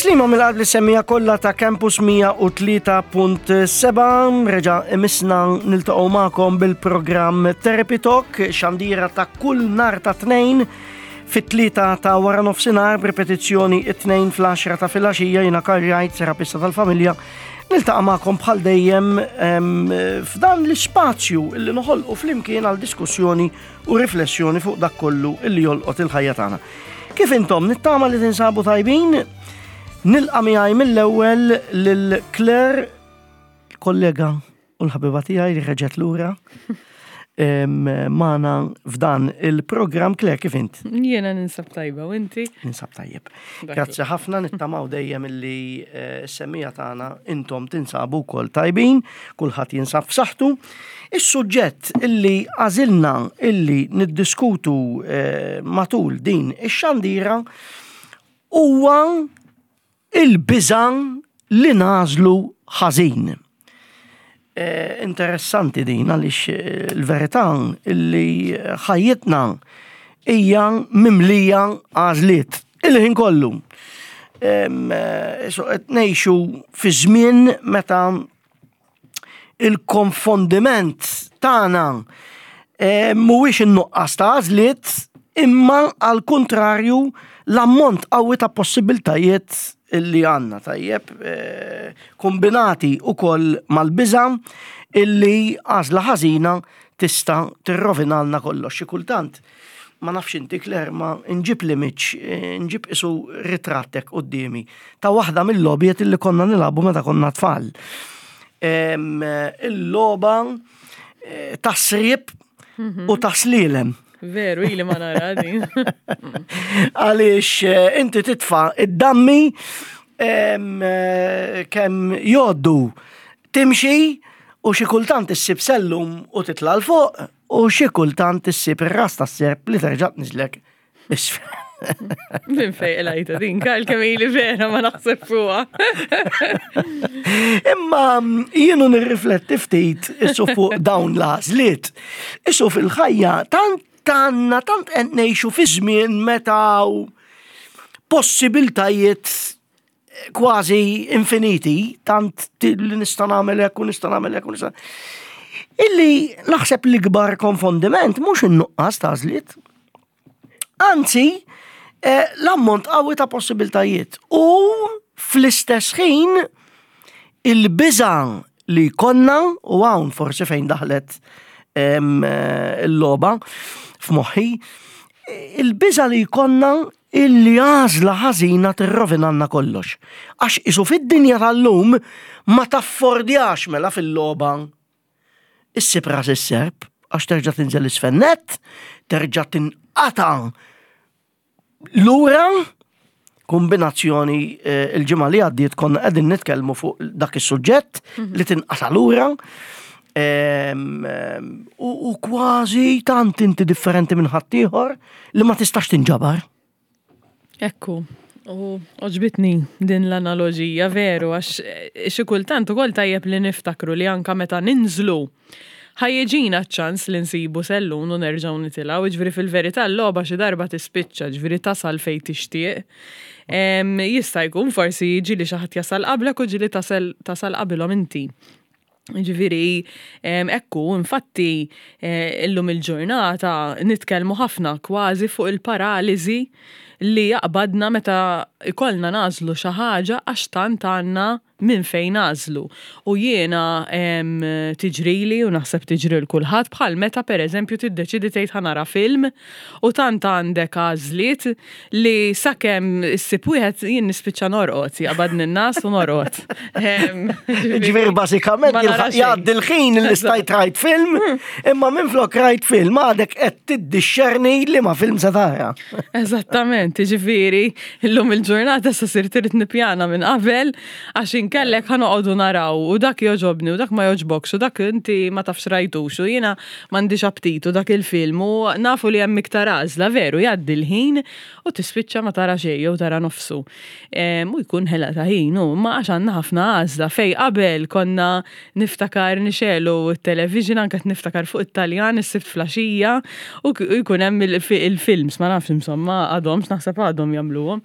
Tislima mill-qalb li semmija kollha ta' Campus 103.7 reġa' imisna niltaqgħu magħkom bil-programm Therapy Talk xandira ta' kull nar ta' tnejn fit-tlieta ta' wara nofsinhar b'ripetizzjoni it-tnejn fl-10 ta' filgħaxija jiena Karl Wright, terapista tal-familja. Niltaqa' magħkom bħal dejjem f'dan l-ispazju li noħolqu flimkien għal diskussjoni u riflessjoni fuq dak kollu illi jolqot il-ħajja tagħna. Kif intom nittama li tinsabu tajbin, nilqa' miegħi mill-ewwel lil Claire, kollega u l-ħabiba tiegħi li reġgħet lura magħna f'dan il-programm. Claire, kif int? Jiena ninsab tajba u inti? Ninsab tajjeb. Grazzi ħafna nittamaw dejjem illi eh, s-semmija tagħna intom tinsabu wkoll tajbin, kulħadd jinsab f'saħħtu. Is-suġġett illi għażilna illi niddiskutu eh, matul din ix-xandira huwa il-biża' li nagħżlu ħażin. Eh, interessanti din għaliex eh, l-verità illi ħajjitna hija mimlija għażliet il-ħin kollu. So qed ngħixu fi żmien meta il-konfondiment tagħna eh, mhuwiex in-nuqqas ta' għażliet imma għal kuntrarju l-ammont qawwi ta' possibiltajiet illi għandna tajjeb eh, kombinati ukoll mal-biża' illi għażla ħażina tista' tirrovinalna kollox. Xi kultant ma nafx inti Claire, ma nġib l-image, eh, nġib isu ritrattek quddiemi ta' waħda mill-logħbiet illi konna nilagħbu meta konna tfal. Il-logħba eh, ta' srib mhm. u ta' slilem. Veru, ili ma nara din. Għaliex eh, inti titfa' id-dammi kemm joddu timxi u xi kultant issib sellum u titla' 'l fuq U xi kultant issib ir-ras tas-serp li terġa' tniżlek isfel. Minn fej qlajta din, Karl kemm ili vera ma naħseb fuqha. Imma mm, jienu nirrifletti ftit issu fuq dawn l-għażliet. Issu fil-ħajja tant għandna tant qed ngħixu fi żmien meta possibiltajiet kważi infiniti, tant li nista' nagħmel hekk u nista' nagħmel hekk u nista' Illi naħseb l-ikbar konfondiment mhux in-nuqqas ta' għażliet. Anzi, eh, l-ammont qawwi ta' possibiltajiet. U fl-istess ħin il-biża' li konna u hawn forsi fejn daħlet eh, il-logħba f'moħħi, il-biża' li jkollna Illi għażla ħażina tirrovinalna kollox. Għax qisu fid-dinja tal-lum ma taffordjax mela fil-logħba issib ras is-serp għax terġa' tinżel isfel nett, terġa' tinqata' lura kombinazzjoni eh, il-ġimgħa li għaddiet konna qegħdin nitkellmu fuq dak is-suġġett mhm. li tinqata' lura. Ehm, ehm, u kważi tant inti differenti minn ħaddieħor li ma tistax tinġabar. Ekku, u oġbitni din l-analoġija veru għax eh, xi kultant ukoll tajjeb li niftakru li anka meta ninżlu ħajjiġina ċ-ċans li nsibu sellun u nerġgħu nitilgħu, ġifieri fil-verità l-logħba xi darba tispiċċa, ġifieri tasal fejn tixtieq. Jista' jkun forsi ġieli xi ħadd jasal qablek u ġieli tasal qabilhom inti. Ġifieri, ekku, infatti, eh, illum il-ġurnata nitkellmu ħafna kważi fuq il-paraliżi li jaqbadna meta ikollna nagħżlu xi ħaġa għax tant għandna minn fejn nagħżlu. U jiena tiġrili u naħseb tiġri l kulħadd bħal meta pereżempju tiddeċidi tgħid ħa nara film u tant għandek għażliet li sakemm issib wieħed jien nispiċċa norqod, jaqbadni n-nas u norqod. Ġifieri bażikament jgħaddi l-ħin li stajt rajt film, imma minflok rajt film għadek qed tiddixxerni li ma film se tara. Eżattament, ġifieri llum il-ġurnata sa sirt irid nippjana minn qabel għax inkellek ħa noqogħdu naraw u dak jogħġobni u dak ma jogħġbokx u dak inti ma tafx rajtux u jiena m'għandix aptit u dak il-film u nafu li hemm iktar għażla veru jgħaddi l-ħin u tispiċċa ma tara xejn jew tara nofsu. U jkun ħela ta' ħin u ma għax għandna ħafna għażla fej qabel konna niftakar nixegħlu t-television anke qed niftakar fuq it-Taljan is-Sibt flaxija u jkun hemm il-films ma nafx insomma għadhomx naħseb għadhom jagħmluhom.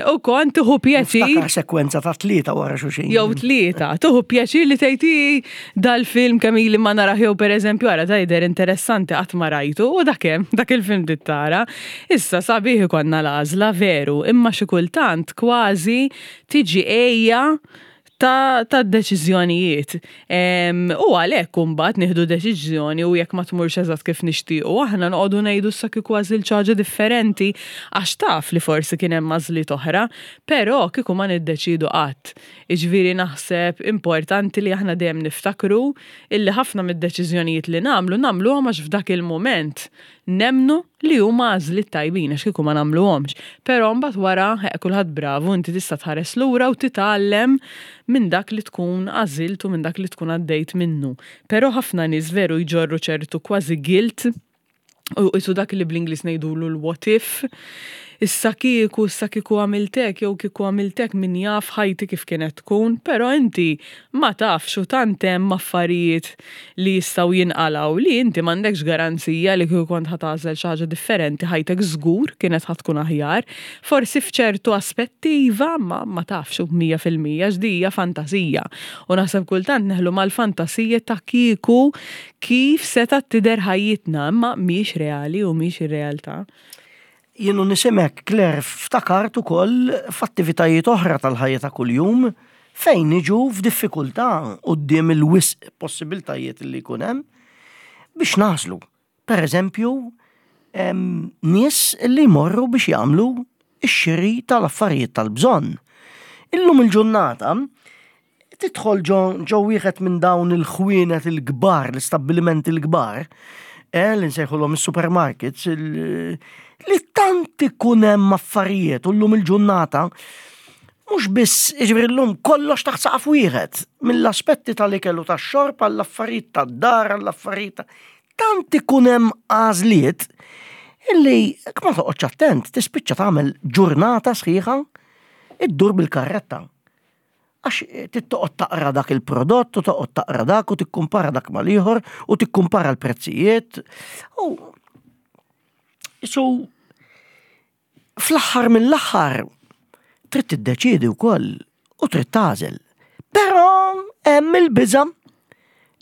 U kont tieħu pjaċir. Niftakar sekwenza ta' tlieta wara xulxin. Jew tlieta, tieħu pjaċir li tgħid dal-film kemm ili ma narah jew pereżempju ara da jidher interessanti qatt ma rajtu u dak hemm, dak il-film trid tara. Issa sabiħ ikollna l-għażla veru, imma xi kultant kważi tiġi għejja ta' ta' deċiżjonijiet. U għalhekk imbagħad nieħdu deċiżjoni u jekk ma tmurx eżatt kif nixtiequ aħna noqogħdu ngħidu issa kieku għażilt xi ħaġa differenti għax taf li forsi kien hemm għażliet oħra, però kieku ma niddeċiedu qatt. Jiġifieri naħseb importanti li aħna dejjem niftakru illi ħafna mid-deċiżjonijiet li nagħmlu nagħmluhom għax f'dak il-mument nemmnu li huma għażliet tajbin għax kieku ma nagħmluhomx. Però mbagħad wara, kulħadd bravu, inti tista' tħares lura u titgħallem minn dak li tkun għażilt u minn dak li tkun għaddejt minnu. Però ħafna nies veru jġorru ċertu kważi guilt u qisu dak li bl-Ingliż ngħidulu l-what if. Issa kieku, issa kieku għamilt hekk jew kieku għamilt hekk min jaf ħajti kif kienet tkun, però inti ma tafx u tant hemm affarijiet li jistgħu jinqalgħu li inti m'għandekx garanzija li kieku kont ħa tagħżel xi ħaġa differenti ħajtek żgur kienet ħa tkun aħjar. Forsi f'ċertu aspetti iva, ma ma tafx u 100% għax di hija fantasija. U naħseb kultant neħlu mal-fantasija ta' kieku kif setgħet tidher ħajjitna, imma mhix reali u mhix ir-realtà. Jien u nisimek, Claire, ftakart ukoll f'attivitajiet oħra tal-ħajja ta' kuljum fejn niġu f'diffikultà quddiem il-wisq possibiltajiet li jkun hemm biex nagħżlu. Per eżempju, nies li jmorru biex jagħmlu x-xiri tal-affarijiet tal-bżonn. Illum il-ġurnata Tidħol ġo ġo wieħed minn dawn il-ħwienet il-kbar, l-istabbilimenti l-kbar, eh, li nsejħulhom is-supermarkets, li tant ikun hemm affarijiet u llum il-ġurnata mhux biss, jiġifieri llum kollox taħt saqaf wieħed, mill-aspetti tal-ikel u tax-xorb għall-affarijiet tad-dar, għall-affarijiet tant ikun hemm għażliet illi jekk ma toqgħodx attent tispiċċa tagħmel ġurnata sħiħa iddur bil-karretta. Għax trid toqgħod taqra dak il-prodott u toqgħod taqra dak u tikkumpara dak mal-ieħor u tikkumpara l-prezzijiet. U so fl-aħħar mill-aħħar trid tiddeċiedi wkoll u trid tagħżel. Però hemm il-biża'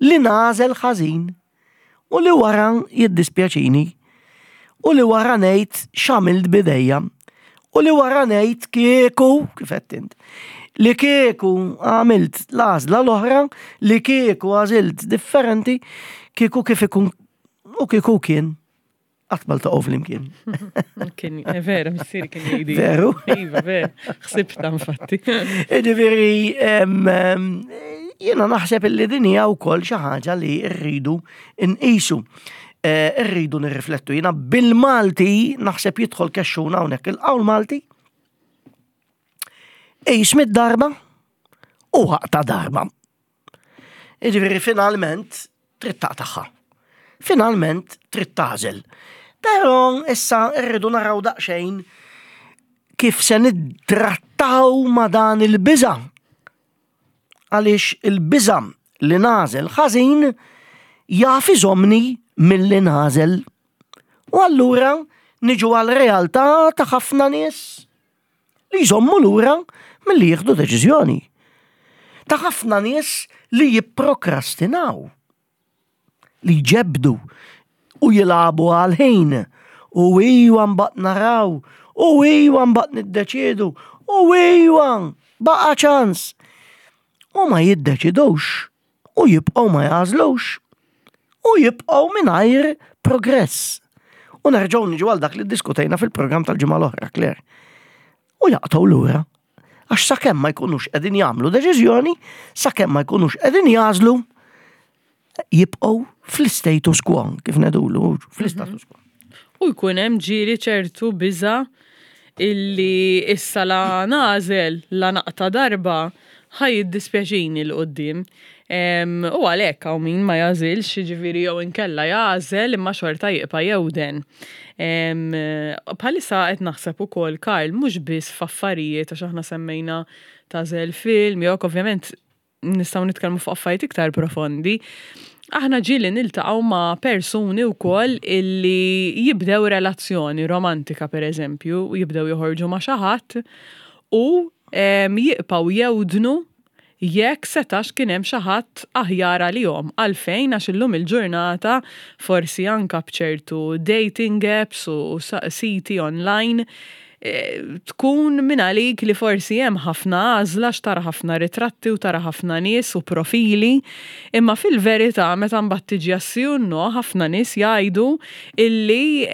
li nagħżel ħażin. U li wara jiddispjaċini. U li wara ngħid x'għamilt b'idejja. U li wara ngħid kieku, kif qed int, li kieku għamilt l-għażla l-oħra, li kieku għażilt differenti, kieku kif ikun u kieku kien. Qatt ma ltaqgħu flimkien. Kien, eh, vera, missieri kien jgħidi. Veru? Iva, vera, ħsibta infatti. Ġifieri, jiena naħseb illi din hija wkoll xi ħaġa li rridu nqisu. Eh, rridu nirriflettu. Jiena bil-Malti naħseb jidħol kexxuna hawnhekk il-qawl Malti. Qis mid-darba u aqta' darba. Jiġifieri finalment trid taqtagħha. Finalment trid tagħżel. Però issa rridu naraw daqsxejn kif se niddrattaw ma' dan il-biża'. Għaliex il-biża' li nagħżel ħażin jaf iżommni milli nagħżel. U allura niġu għal realtà ta' ħafna nies li jżommu lura milli jieħdu deċiżjoni. Ta' ħafna nies li jipprokrastinaw, li jġebdu u jilagħbu għal-ħin u iwa mbagħad naraw u iwa mbagħad niddeċiedu u iwa baqa' ċans. U ma jiddeċidux u jibqgħu ma jagħżlux u jibqgħu mingħajr progress. U nerġgħu niġu għal dak li ddiskutejna fil-programm tal-ġimgħa l-oħra, Claire. U jaqtgħu lura. Għax sakemm ma jkunux qegħdin jagħmlu deċiżjoni, sakemm ma jkunux qegħdin jagħżlu, jibqgħu fl-status quo, kif ngħidulu, fl-status quo. U jkun hemm ġieli ċertu biża' illi issa la nagħżel la naqta' darba ħa jiddispjaċini 'l quddiem. U għalhekk hawn min ma jagħżilx, jiġifieri jew inkella jagħżel imma xorta jibqa' jewden. Bħalissa qed naħseb ukoll Karl mhux biss f'affarijiet għax aħna semmejna tagħżel film jew hekk ovvjament nistgħu nitkellmu fuq affarijiet iktar profondi. Aħna ġieli niltaqgħu ma' persuni wkoll illi jibdew relazzjoni romantika pereżempju, jibdew joħorġu ma' xi ħadd u jibqgħu jewdnu jekk setax kien hemm xi ħadd aħjar għalihom. Għalfejn? Għax illum il-ġurnata forsi anka b'ċertu dating apps u siti online tkun minn għalik li forsi hemm ħafna għażla għax tara ħafna ritratti u tara ħafna nies u profili, imma fil-verità meta mbagħad tiġi għas-sì u n-no ħafna nies jgħidu illi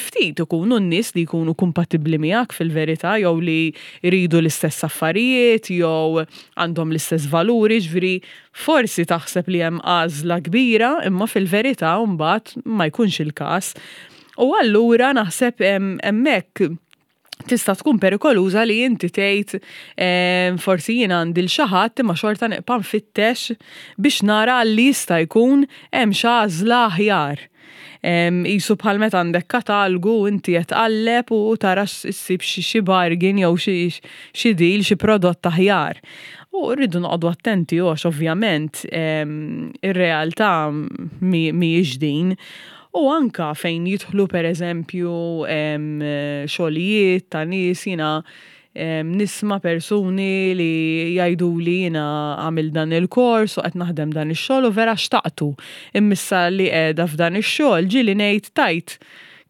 ftit ikunu n-nies li jkunu kumpatibbli miegħek fil-verità jew li jridu l-istess affarijiet jew għandhom l-istess valuri, ġifieri forsi taħseb li hemm għażla kbira imma fil-verità mbagħad ma jkunx il-każ. U allura naħseb hemmhekk tista' tkun perikoluża li inti tgħid forsi jien għandi l xi ħadd imma xorta nibqa' nfittex biex nara li jista' jkun hemm xi għażla aħjar. Qisu bħal meta għandek katalgu inti qed tqalleb u tara ssib xi bargain jew xi deal, xi prodott aħjar. U rridu noqogħdu attenti għax ovvjament ir-realtà mhijiex din. U anka fejn jidħlu pereżempju xogħlijiet ta' nies jiena nisma' persuni li jgħiduli jiena għamilt dan il-kors u qed naħdem dan ix-xogħol u vera xtaqtu. Imma issa li qiegħda f'dan ix-xogħol ġieli ngħid tgħid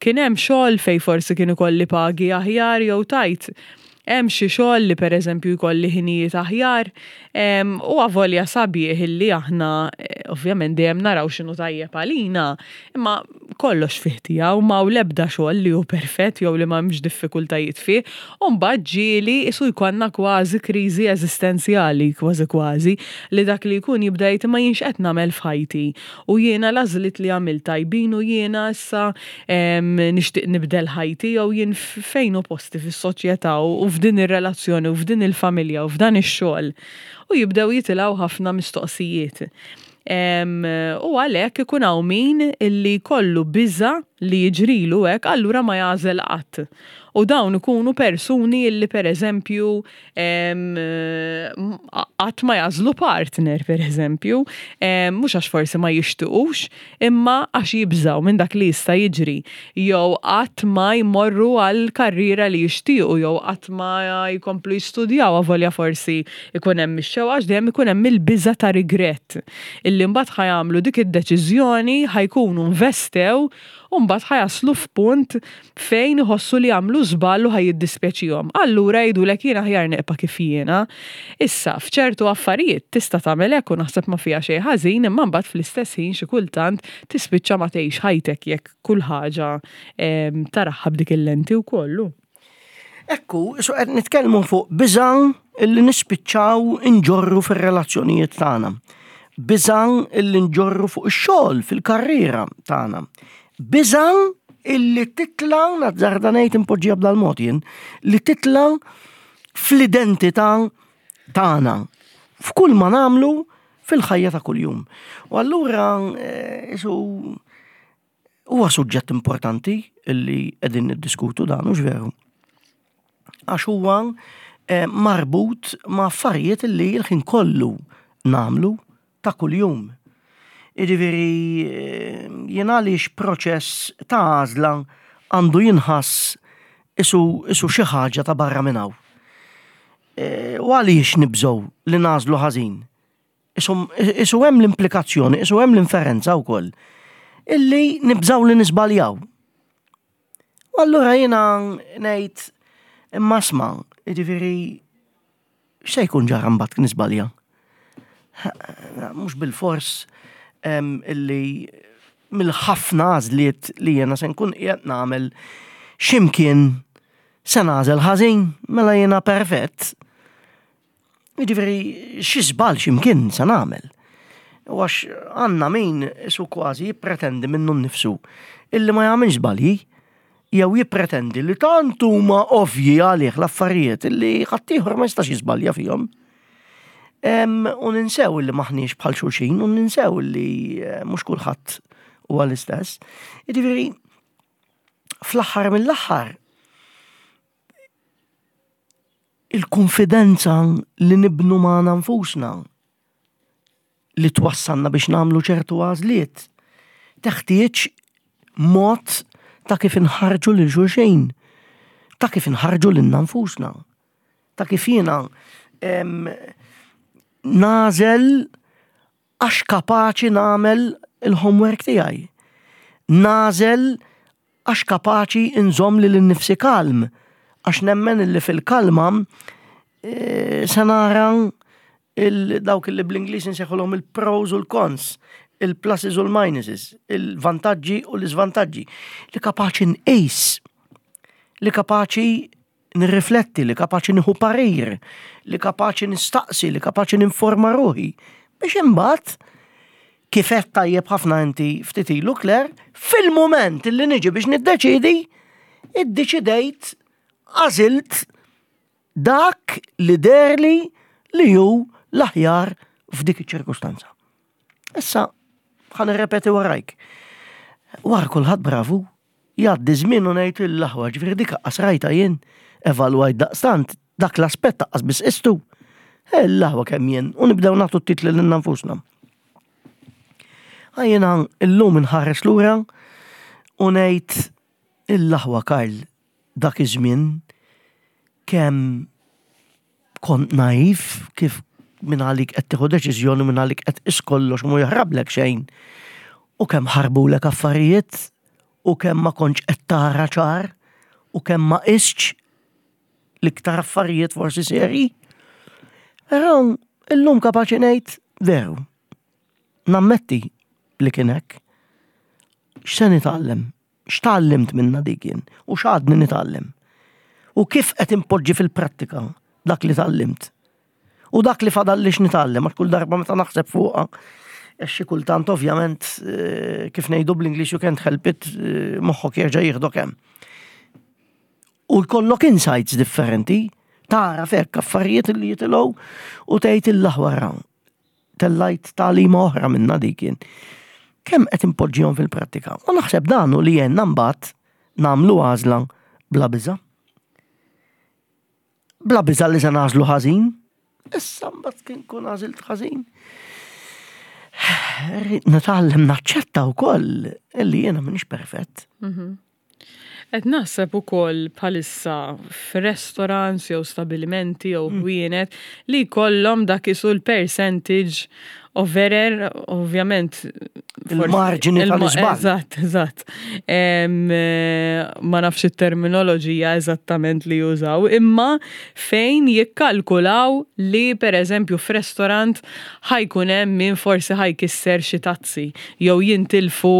kien hemm xogħol fejn forsi kien ikolli pagi aħjar jew tgħid Hemm xi xogħol li pereżempju jkolli ħinijiet aħjar? U avolja sabiħ illi aħna ovvjament dejjem naraw x'inhu tajjeb għalina, imma kollox fih tiegħu, m'hawn l-ebda xogħol li hu perfett jew li m'hemmx diffikultajiet fih, u mbagħad ġieli qisu jkollna kważi kriżi eżistenzjali, kważi kważi, li dak li jkun jibda jgħid imma jien x'qed nagħmel f'ħajti? U jiena l-għażliet li għamilt tajbin u jiena issa nixtieq nibdel ħajti jew jien fejn hu posti fis-soċjetà u f'din ir-relazzjoni u f'din il-familja u f'dan ix-xogħol. U jibdew jitilgħu ħafna mistoqsijiet. U għalhekk ikun hawn min illi jkollu biża' li jiġrilu hekk allura ma jagħżel qatt. U dawn ikunu persuni illi pereżempju qatt ma jagħżlu partner pereżempju, mhux għax forsi ma jixtiqux, imma għax jibżgħu minn dak li jista' jiġri. Jew qatt ma jmorru għal karriera li jixtiequ jew qatt ma jkomplu jistudjaw avolja forsi jkun hemm ix-xewqa għax dejjem ikun hemm il-biża' ta' rigrett illi mbagħad ħa jagħmlu dik id-deċiżjoni ħa jkunu nvestew u mbagħad ħa jaslu f'punt fejn iħossu li għamlu żball u ħa jiddispjaċihom. Allura jgħidulek jien aħjar neqpa' kif jiena. Issa, f'ċertu affarijiet tista' tagħmel hekk u naħseb ma fiha xejn ħażin imma mbagħad fl-istess ħin xi kultant tispiċċa ma tgħix ħajtek jekk kull ħaġa taraha b'dik il-lenti wkoll. Ekku, so qed nitkellmu fuq biża' illi nispiċċaw inġorru fir-relazzjonijiet tagħna. Biża' illi nġorru fuq ix-xogħol fil-karriera tagħna. Biża' illi titla' nazzarda ngħid impoġġija b'dal-mod jien, li titla' fl-identità tagħna f'kull ma nagħmlu fil-ħajja ta' kuljum. U allura eh, isu Huwa suġġett importanti li qegħdin niddiskutu dan, hux veru? Għax huwa eh, marbut ma' affarijiet li l-ħin kollu nagħmlu ta' kuljum. Jiġifieri eh, jien għaliex proċess ta' għażla għandu jinħass isu, isu xi ħaġa ta' barra minn hawn. Eh, u għaliex nibżgħu li nagħżlu ħażin? Isu hemm l-implikazzjoni, isu hemm l-inferenza wkoll illi nibżaw li nisbaljaw. U allura jiena ngħid imma sma, jiġifieri x'se jkun ġara mbagħad nisbalja? Mhux bil-fors illi mill-ħafna għażliet li jiena se nkun qiegħed nagħmel x'imkien se nagħżel ħażin mela jiena perfett. Jiġifieri xi żball x'imkien se nagħmel. U għax għandna min isu kważi jippretendi minnu nnifsu illi ma jagħmilx żbalji. jew jippretendi li tant huma ovvji għalih l-affarijiet li ħaddieħor ma jistax jiżbalja fihom. U ninsew li maħniex bħal xulxin u ninsew li eh, mhux kulħadd huwa l-istess. Jiġifieri fl-aħħar mill-aħħar il-konfidenza li nibnu magħna nfusna li twassalna biex nagħmlu ċertu għażliet. Teħtieġ mod ta' kif inħarġu lil xulxin, ta' kif inħarġu lilna nfusna, ta' kif jiena nagħżel għax kapaċi nagħmel il-homework tiegħi. Nagħżel għax kapaċi nżomm lili nnifsi kalm, għax nemmen illi fil-kalma eh, se nara dawk li bl-Ingliż insejħulhom il-pros u l-cons, il-pluses u l-minuses, il-vantaġġi u l-iżvantaġġi, li kapaċi nqis, li kapaċi nirrifletti, li kapaċi nieħu parir, li kapaċi nistaqsi, li kapaċi ninforma ruħi, biex imbagħad kif qed tajjeb ħafna inti ftit ilu Claire, fil-mument li niġi biex niddeċidi, iddeċidejt, għażilt dak li derli li hu l-aħjar f'dik iċ-ċirkustanza. Issa, ħa nirrepeti warajk. Wara kulħadd bravu, Jgħaddi żmien u ngħid l-aħwa, ġifieri dik aqqas rajtha jien, evalwajt daqstant, dak l-aspett aqqas biss qistu. L-aħwa kemm jien, u nibdew nagħtu t-titli lilna nfusna. Jiena illum inħares lura u ngħid l-aħwa Karl dak iż-żmien kemm kont naiv kif minn għalik qed tieħu deċiżjoni minn għalik qed tqis kollox mu jaħrablek xejn. U kemm ħarbulek affarijiet u kemm ma kontx qed tara ċar u kemm ma qistx l-iktar affarijiet forsi serji. Però illum kapaċi ngħid veru. Nammetti li kien hekk. X'se nitgħallem? X'tgħallimt minnha dik jien u x'għadni nitgħallem? U kif qed inpoġġi fil-prattika dak li tgħallimt? U dak li fadalli x'nitgħallem għax kull darba meta naħseb fuqha għax xi kultant ovvjament eh, kif ngħidu bl-Ingliż you can't help it, eh, moħħok jerġa' jieħdok hemm. U jkollok insights differenti, tara fekk affarijiet li jitilgħu u tgħid il-aħwara. Tellajt tagħlima oħra minna dik jien. Kemm qed inpoġġihom fil-prattika? U naħseb dan hu li għenna mbagħad nagħmlu għażla bla biża'. Bla biża' li se nagħżlu ħażin. Issa mbagħad kien kun għażilt ħażin. Nitgħallem naċċetta wkoll illi jiena m'iniex perfett. Mhm. Qed naħseb ukoll bħalissa f'restaurants jew stabilimenti jew mm. ħwienet li jkollhom dak isu l-percentage of error, ovvjament. Il-marġini tal-iżball. Eżatt, eżatt. Eh, ma nafx it-terminoloġija eżattament li jużaw, imma fejn jikkalkulaw li per eżempju f'restaurant ħajkun hemm min forsi ħajkisser xi tazzi jew jintilfu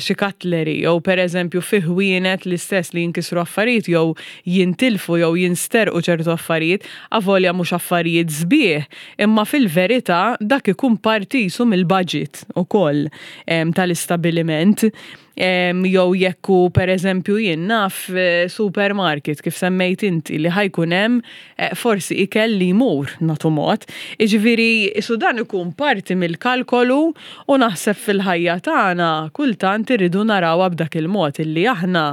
xi cutlery jew pereżempju fi ħwienet l-istess li jinkisru affarijiet jew jintilfu jew jinsterqu ċertu affarijiet, avolja mhux affarijiet sbieħ, imma fil-verità dak ikun parti qisu mill-budget ukoll tal-istabbiliment. Jew jekk hu pereżempju jien naf supermarket kif semmejt inti li ħa jkun hemm forsi ikel li jmur nagħtu mod. Jiġifieri qisu dan ikun parti mill-kalkolu u naħseb fil-ħajja tagħna kultant irridu narawha b'dak il-mod illi aħna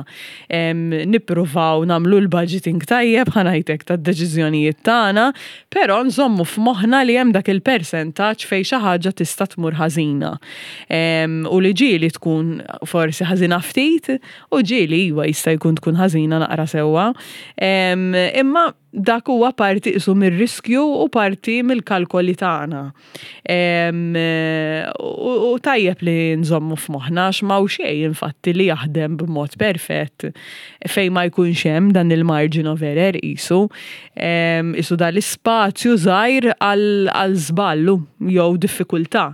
nippruvaw nagħmlu l-budgeting tajjeb ħa ngħid hekk tad-deċiżjonijiet tagħna, però nżommu f'moħħna li hemm dak il-persentaġġ fejn xi ħaġa tista' tmur ħażina. U li ġieli tkun forsi ħażina ftit u ġieli iva jista' jkun tkun ħażina naqra sewwa. Imma dak huwa parti qisu mir-riskju u parti mill-kalkoli tagħna. U tajjeb li nżommu f'moħħna għax m'hawn xejn infatti li jaħdem b'mod perfett fejn ma jkunx hemm dan il-margin of error qisu. Qisu dal-ispazju żgħir għal żball jew diffikultà.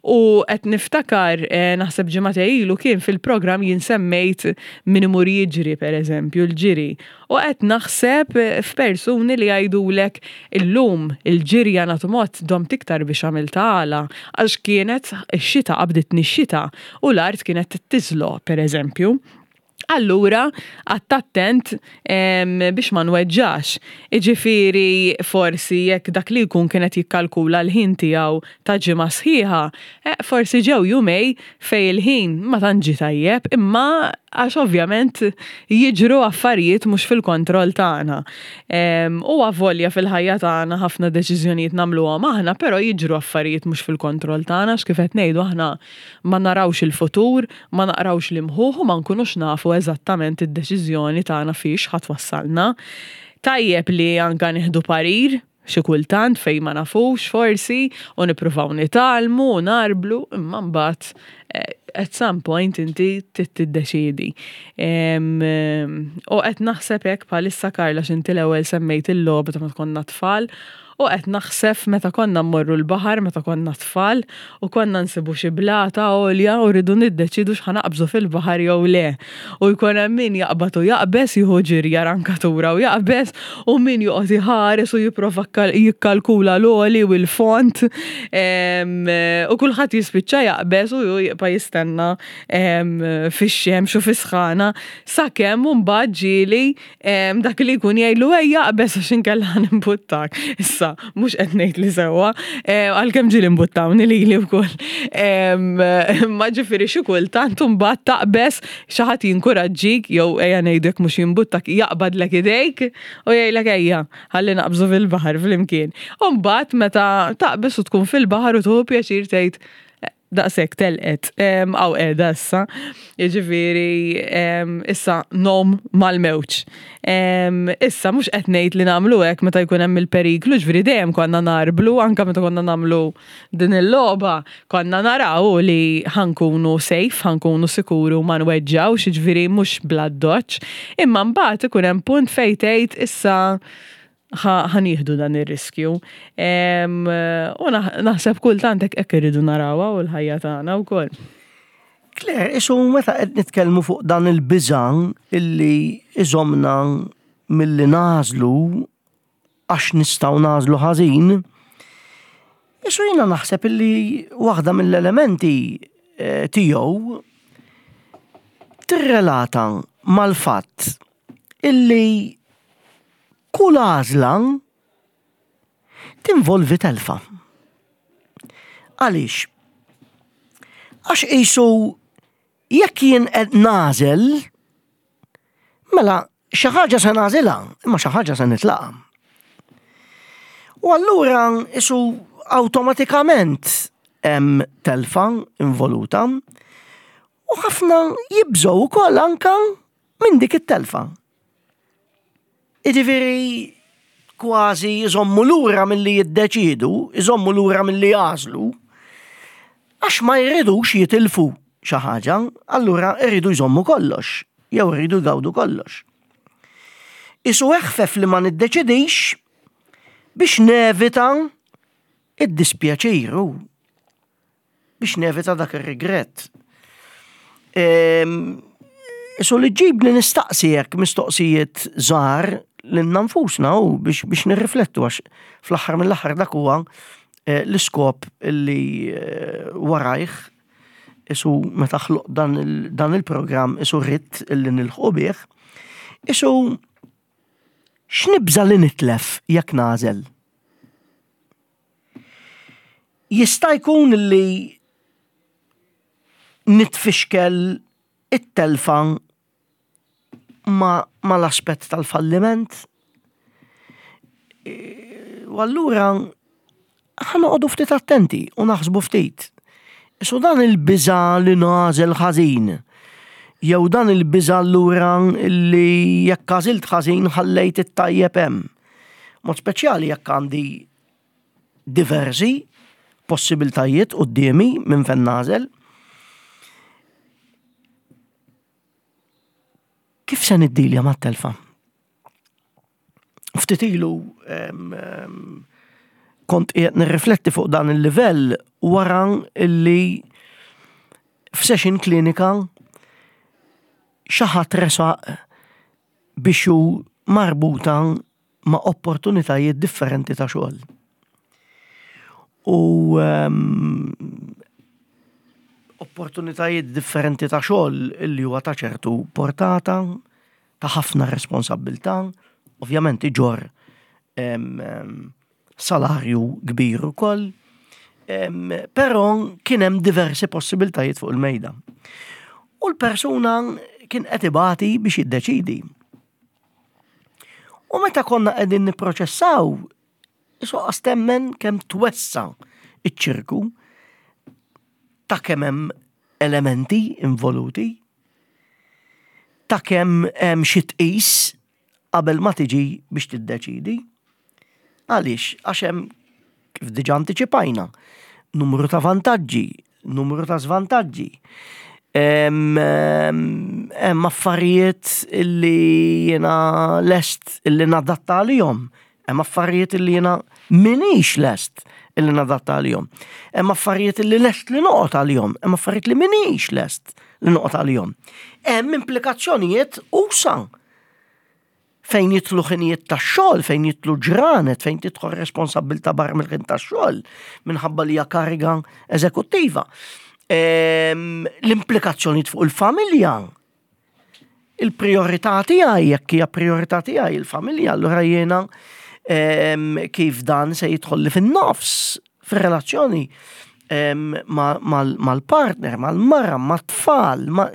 U qed niftakar, eh, naħseb ġimgħa ilu kien fil-programm jien semmejt min imur jiġri pereżempju l-ġiri. U qed naħseb f'persuni li jgħidulek illum il-ġirja nagħtu mod domt iktar biex għamiltha għala għax kienet ix-xita qabditni x-xita u l-art kienet tiżloq pereżempju. Allura, qgħadt attent biex ma nweġġax. Iġifieri forsi jekk dak li jkun kien qed jikkalkula l-ħin tiegħu ta' ġimgħa sħiħa, eh, forsi ġew jumej fejn il-ħin ma tantx ġie tajjeb, imma għax ovvjament jiġru affarijiet mhux fil-kontroll tagħna. U avolja fil-ħajja tagħna ħafna deċiżjonijiet nagħmluhom aħna, però jiġru affarijiet mhux fil-kontroll tagħna għax kif qed ngħidu aħna ma narawx il-futur, ma naqrawx l-imħuħ u ma nkunux nafu eżattament id-deċiżjoni tagħna fiex ħa twassalna. Tajjeb li anka nieħdu parir xi kultant fejn ma nafux forsi u nippruvaw nitgħallmu u nagħrblu imma mbagħad eh, at some point inti trid tiddeċiedi. U qed naħseb hekk bħalissa Karla x'inti l-ewwel semmejt il-logħba ta' meta konna tfal U qed naħseb meta konna mmorru l-baħar meta konna tfal u konna nsibu xi blata għolja u rridu niddeċiedu x'ħa naqbżu fil-baħar jew le. U jkun hemm min jaqbad u jaqbeż, jieħu ġirja rankatura u jaqbeż u min joqgħod iħares u jipprova jikkalkula l-għoli u l-fond u kulħadd jispiċċa jaqbeż u hu jibqa' jistenna fix-xemx u fis-sħana sakemm imbagħad ġieli Dak li jkun jgħidlu ejja aqbeż għax inkella ħa nimbuttak. Issa, mhux qed ngħid li sewwa, għalkemm ġieli mbuttawni lili wkoll. Ma ġifieri xi kultant imbagħad taqbeż xi ħadd jinkuraġġik jew ejja ngħidu jekk mhux jimbuttak jaqbadlek idejk u jgħidlek ejja ħalli naqbżu fil-baħar flimkien. U mbagħad meta taqbeż u tkun fil-baħar u tieħu pjaċir tgħid Daqshekk telqet. Hawn qiegħda issa. Jiġifieri issa nom mal-mewġ. Issa mhux qed ngħid li nagħmlu hekk meta jkun hemm il-periklu, ġifieri dejjem konna narblu anke meta konna nagħmlu din il-logħba, konna naraw li ħa nkunu safe, ħa nkunu sikuri u ma nweġġgħux, jiġifieri mhux bl-addoċċ. Imma mbagħad ikun hemm punt fejn tgħid issa ħa nieħdu dan ir-riskju. U naħseb kultant hekk hekk irridu narawha u l-ħajja tagħna wkoll. Claire, isu meta qed nitkellmu fuq dan il-biża' illi iżomna milli nagħżlu għax nistgħu nagħżlu ħażin, isu jiena naħseb illi waħda mill-elementi eh, tiegħu tirrelata mal-fatt illi Kull għażla tinvolvi telfa. Għaliex? Għax qisu jekk jien qed nagħżel, mela xi ħaġa se nagħżilha, imma xi ħaġa se nitlaqa. U allura isu awtomatikament hemm telfa involuta u ħafna jibżgħu wkoll anka minn dik it-telfa. Jiġifieri kważi jżommu lura milli jiddeċiedu, iżommu lura milli jagħżlu, għax ma jridux jitilfu xi ħaġa, allura jridu jżommu kollox, jew jridu jgawdu kollox. Isu eħfef li ma niddeċidix biex nevita id-dispjaċir biex nevita dak ir-rigrett. Ehm, isu li ġibni nistaqsi jekk mistoqsijiet żgħar lilna nfusna u biex, biex nirriflettu għax fl-aħħar mill-aħħar dak huwa eh, l-iskop li eh, warajh isu meta ħloq dan il-programm isu rrit illi nilħqu bih, isu x'nibża li nitlef jekk nagħżel? Jista' jkun li nitfixkel it-telfa ma l-aspett tal-falliment. U allura ħa noqogħdu ftit attenti u naħsbu ftit. Isu dan il-biża' li nagħżel ħażin, jew dan il-biża' allura li jekk għażilt ħażin ħallejt it-tajjeb hemm. Mod speċjali jekk għandi diversi possibiltajiet quddiemi minn fejn nagħżel. Kif se niddilja mat-telfa? Ftit ilu kont qiegħed nirrifletti fuq dan il-livell wara illi f'session klinika xi ħadd resaq biex hu marbuta ma' opportunitajiet differenti ta' xogħol. U ehm, opportunitajiet differenti ta' xogħol li huwa ta' ċertu portata, ta' ħafna responsabbiltà, ovvjament iġorr salarju kbir ukoll, però kien hemm diversi possibiltajiet fuq il-mejda. U l-persuna kien qed ibati biex jiddeċidi. U meta konna qegħdin nipproċessaw, isoqqas temmen kemm twessa iċ-ċirku ta' kemm hemm elementi involuti, ta' kemm hemm xi tqis qabel ma tiġi biex tiddeċidi. Għaliex? Għax hemm kif diġà antiċipajna, numru ta' vantaġġi, numru ta' żvantaġġi. Hemm affarijiet illi jiena lest illi nadatta għalihom, hemm affarijiet illi jiena minix lest illi nadatta għalihom. Hemm affarijiet illi lest li noqgħod għalihom, hemm affarijiet li minix lest li noqgħod għalihom. Hemm implikazzjonijiet usa fejn jidħlu ħinijiet tax-xogħol, fejn jidħlu ġranet, fejn tidħol responsabbiltà barra mill-ħin tax-xogħol minħabba li hija kariga eżekuttiva. Ehm, l-implikazzjonijiet fuq il-familja. Il-priorità tiegħi jekk hija priorità tiegħi il-familja, allura jiena ehm, kif dan se jidħol li fin-nofs fir-relazzjoni ehm, mal-partner, mal-mara, mat-tfal, ma'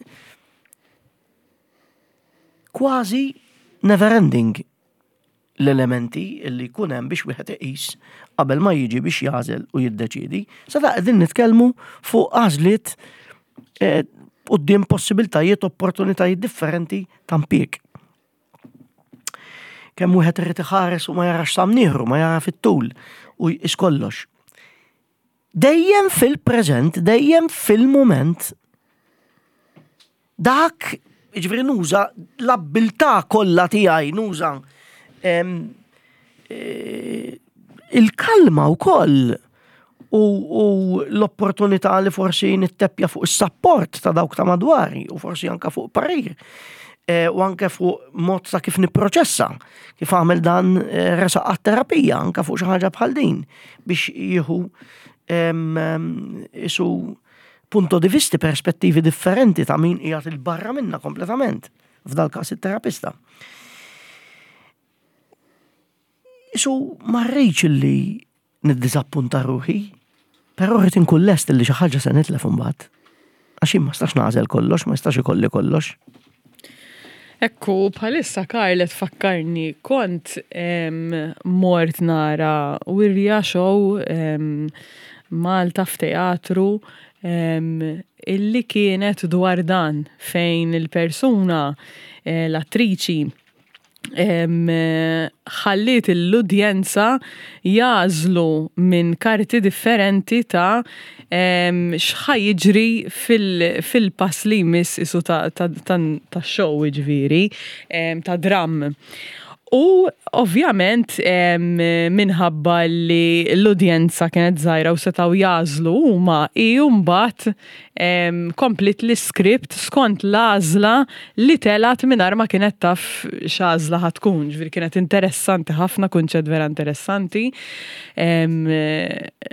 kważi never ending l-elementi li jkun hemm biex wieħed iqis qabel ma jiġi biex jagħżel u jiddeċiedi. Sa da qegħdin nitkellmu fuq għażliet eh, quddiem possibiltajiet, opportunitajiet differenti ta' impjieg. Kemm wieħed irid iħares u ma jarax samnieħru, ma jara fit-tul u jqis kollox. Dejjem fil-preżent, dejjem fil-mument. Dak, ġifieri nuża l-abbiltà kollha tiegħi, nuża e, il-kalma wkoll u, u l-opportunità li forsi nitteppja fuq is-sapport ta' dawk ta' madwari u forsi anka fuq parir e, u anke fuq mod ta' kif nipproċessa, kif għamel dan e, resaq għat-terapija anka fuq xi ħaġa bħal din biex jieħu isu punto di visti, perspettivi differenti ta' min qiegħed il-barra minna kompletament, f'dal każ it-terapista. Isu ma rridx li niddiżappunta ruħi, però rrid inkun lest li xi ħaġa se nitlef imbagħad. Għax jien ma stax nagħżel kollox, ma jistax ikolli kollox. Ekku, bħalissa Karl qed tfakkarni kont mort nara wirja show Malta f'teatru illi kienet dwar dan fejn il-persuna eh, l-attriċi ħalliet l-udjenza jagħżlu minn karti differenti ta' x'ħa jiġri fil-pass li jmiss isu ta' show jiġifieri, ta' dramm. U ovvjament minħabba li l-udjenza kienet żgħira u setgħu jagħżlu huma, hi mbagħad kompliet l-iskript skont l-għażla li telgħet mingħajr ma kienet taf x'għażla ħa tkun. Ġifieri kienet interessanti ħafna, kunċett vera interessanti.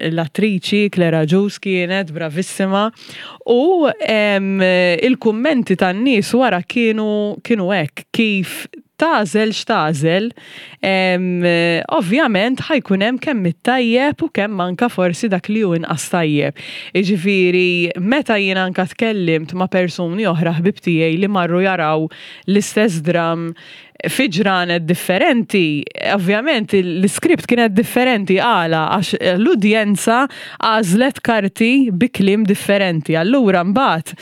L-attriċi Claire Agius kienet bravissima u il-kummenti tan-nies wara kienu kienu hekk kif tagħżel x'tagħżel, ovvjament ħa jkun hemm kemm it-tajjeb u kemm anka forsi dak li hu inqas tajjeb. Jiġifieri meta jien anka tkellimt ma' persuni oħra ħbieb tiegħi li marru jaraw l-istess dramm fi ġranet differenti, ovvjament l-iskript kienet differenti għala għax l-udjenza għażlet karti bi kliem differenti. Allura mbagħad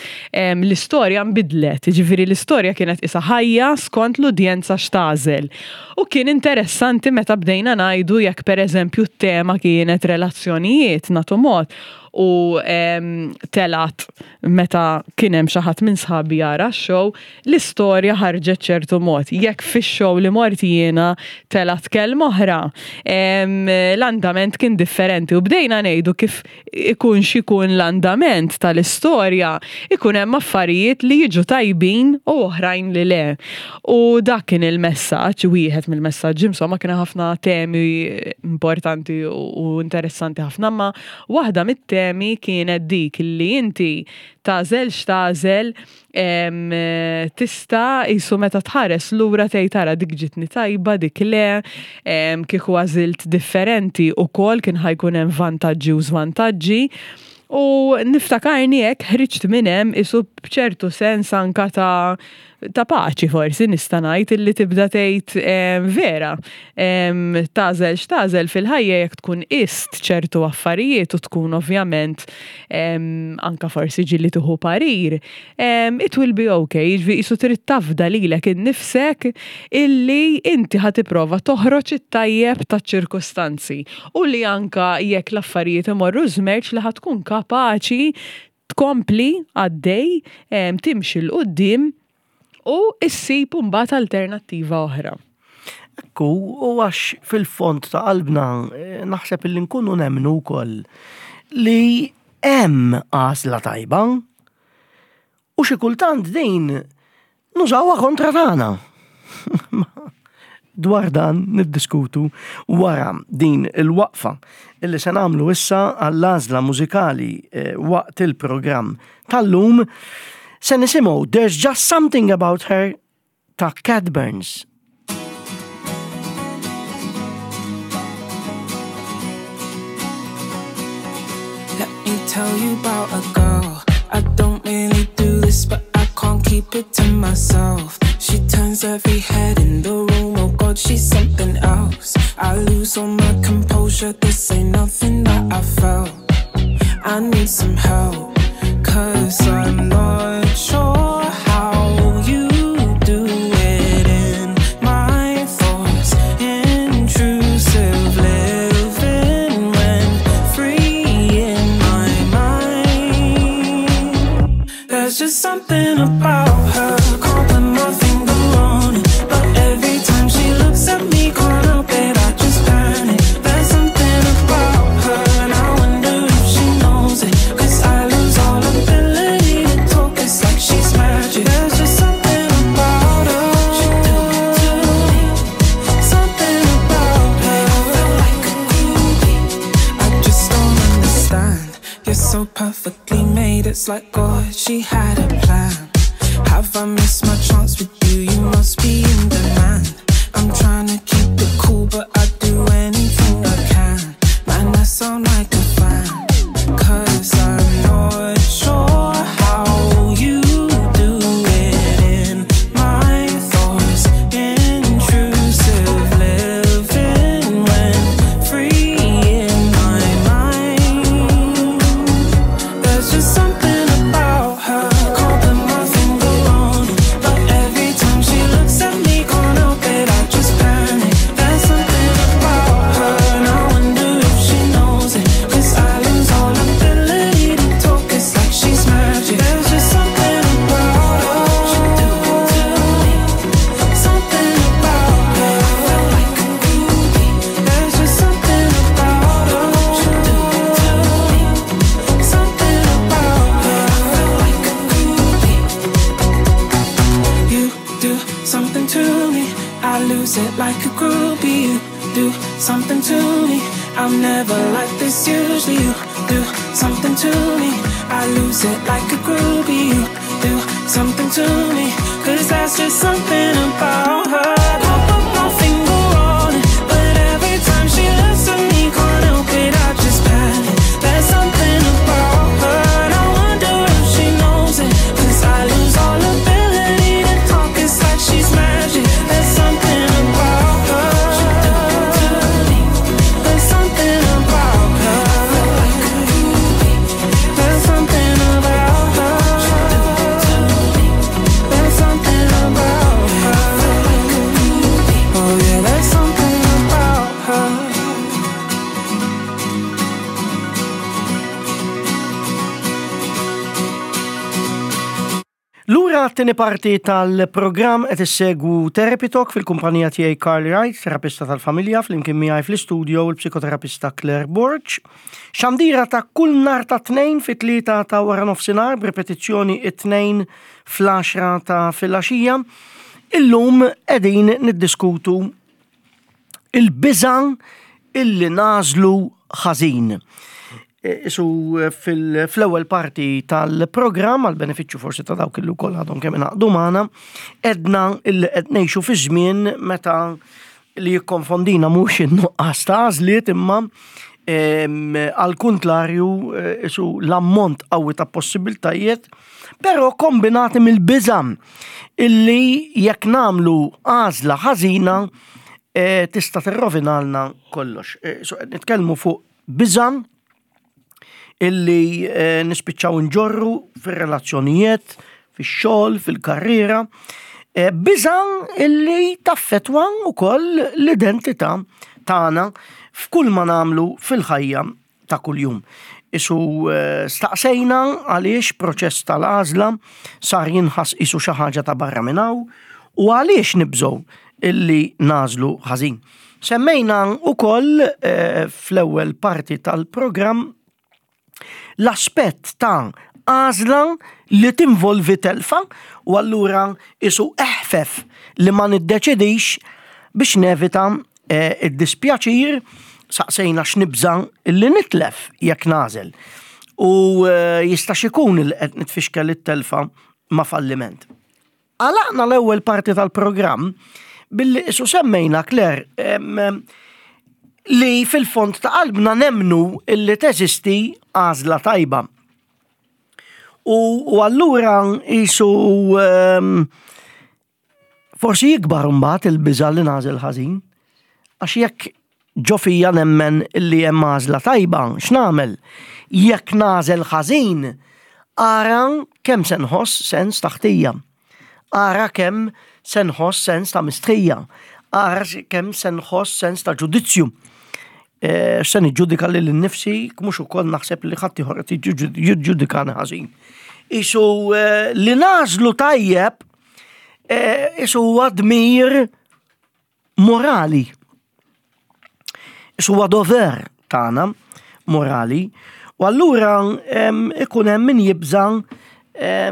L-istorja nbidlet, jiġifieri l-istorja kienet qisha ħajja skont l-udjenza x'tagħżel. U kien interessanti meta bdejna ngħidu jekk pereżempju t-tema kienet relazzjonijiet, nagħtu mod, u telgħet meta kien hemm xi ħadd minn sħabi jara x-show, l-istorja ħarġet ċertu mod. Jekk fix-show li mort jiena telgħet kelma oħra, l-andament kien differenti u bdejna ngħidu kif ikun x'ikun l-andament tal-istorja, ikun hemm affarijiet li jiġu tajbin u oħrajn li le. U dak kien il-messaġġ, wieħed mill-messaġġi, insomma kien ħafna temi importanti u interessanti ħafna, ma waħda mit-temi problemi kienet dik li inti tagħżel x'tagħżel tista' qisu meta tħares lura tgħid ara dik ġitni tajba dik le, kieku għażilt differenti ukoll kien ħa jkun hemm vantaġġi u żvantaġġi. U niftakarni hekk ħriġt minn hemm qisu b'ċertu sens anka ta' ta' paċi forsi nista' ngħid illi tibda tgħid vera tagħżel x'tagħżel fil-ħajja jekk tkun qist ċertu affarijiet u tkun ovvjament anka forsi ġieli tieħu parir, it will be okay, jiġifieri qisu trid tafda lilek innifsek illi inti ħa tipprova toħroġ it-tajjeb taċ-ċirkustanzi u li anka jekk l-affarijiet imorru żmerċ li ħa tkun kapaċi tkompli għaddej, timxi 'l quddiem u issib imbagħad alternattiva oħra. Ekku, u għax fil-fond ta' qalbna eh, naħseb illi nkunu nemmnu wkoll li hemm għażla tajba u xi kultant din Nużawha kontra tagħna. Dwar dan niddiskutu wara din il-waqfa illi se nagħmlu issa għall-għażla mużikali eh, waqt il-programm tal-lum se nisimgħu There's Just Something About Her ta' Cat Burns. Let me tell you about a girl. I don't really do this, but I can't keep it to myself. She turns every head in the room. Oh God, she's something else. I lose all my composure. This ain't nothing that I felt. I need some help, cause I'm not sure how you do it in my thoughts. Intrusive living rent free in my mind. There's just something about her. Can't put my finger on it, but every time she looks at me, can't help it, I just panic. There's something about her, and I wonder if she knows it. Cause I lose all ability to talk, it's like she's magic. There's just something about her. She do it to me. Something about her. I feel like a groupie. I just don't understand. You're so perfectly made, it's like God, she had a plan. Have I missed my chance with you? You must be in demand. I'm trying to keep it cool, but I do anything I can. Man, I sound like a fan. Cause I'm not sure how you do it in my thoughts. Intrusive living rent free in my mind. There's just something about her. Can't put my finger on it, but every time she looks at me, can't help it, I just panic. There's something about her, and I wonder if she knows it. Cause I lose all ability to talk, it's like she's magic. There's just something about her. She do it to me. Something about her. I feel like a groupie. There's just something about her. She do it to me. Something about her. I feel like a groupie. You do something to me. I lose it like a groupie. You do something to me. I'm never like this usually. You do something to me. I lose it like a groupie. You do something to me. Cause that's just something about her. Can't put my finger on it, but every time she looks at me, can't help it, I just panic. There's something about her, and I wonder if she knows it. Cause I lose all ability to talk, it's like she's magic. There's something about her. She do it to me. There's something about her. I feel like a groupie. There's something about her. She do it to me. There's something about her. I feel like a groupie. Oh yeah, there's something about her. Lura għat-tieni parti tal-programm qed issegwu Therapy Talk fil-kumpanija tiegħi Carl Wright, terapista tal-familja, flimkien miegħi fl-istudio l-psikoterapista Claire Borg. Xandira ta' kull nhar ta' tnejn fit-tlieta ta' wara nofsinhar b'ripetizzjoni it-tnejn fl-għaxra ta' filgħaxija. Illum qegħdin niddiskutu il-biża' illi nagħżlu ħażin. Isu fl-ewwel parti tal-programm għal benefiċċju forsi ta' dawk li wkoll għadhom kemm ingħaqdu magħna, edna li qed ngħixu fi żmien meta li jikkonfondina mhux in-nuqqas ta' għażliet imma għal kuntlarju isu l-ammont qawwi ta' possibiltajiet, però kombinati mill-biża' illi jekk nagħmlu għażla ħażina tista' tirrovinalna kollox. So qed nitkellmu fuq biża' illi eh, nispiċċaw nġorru fir-relazzjonijiet, fix-xogħol, fil-karriera, eh, biża' illi taffetwa wkoll l-identità tagħna f'kull ma nagħmlu fil-ħajja ta' kuljum. Isu eh, staqsejna għaliex proċess tal-għażla sar jinħass isu xi ħaġa ta' barra minn hawn u għaliex nibżgħu illi nagħżlu ħażin. Semmejna wkoll eh, fl-ewwel parti tal-programm l-aspett ta' għażla li tinvolvi telfa u allura isu eħfef li ma niddeċidix biex nevita eh, id-dispjaċir saqsejna x'nibża li nitlef jekk nagħżel. U eh, jistax ikun li qed nitfixkel it-telfa ma' falliment. Għalaqna l-ewwel parti tal-programm billi isu semmejna Claire li fil-fond ta' qalbna nemnu illi teżisti għażla tajba. U, u allura isu forsi jikbar mbagħad il-biża' li nagħżel ħażin. Għax jekk ġo fija nemmen li hemm għażla tajba, x'nagħmel? Jekk nagħżel ħażin, ara kemm se nħoss sens ta' ħtija. Ara kemm se nħoss sens ta' mistħija. Ara kemm se nħoss sens ta' ġudizzju. Eh, se niġġudika lil innifsi, mhux ukoll naħseb li ħadd ieħor qed jiġġudikani ħażin. Isu eh, li nagħżlu tajjeb eh, isu huwa dmir morali. Huwa dover tagħna morali. U allura ikun hemm min jibża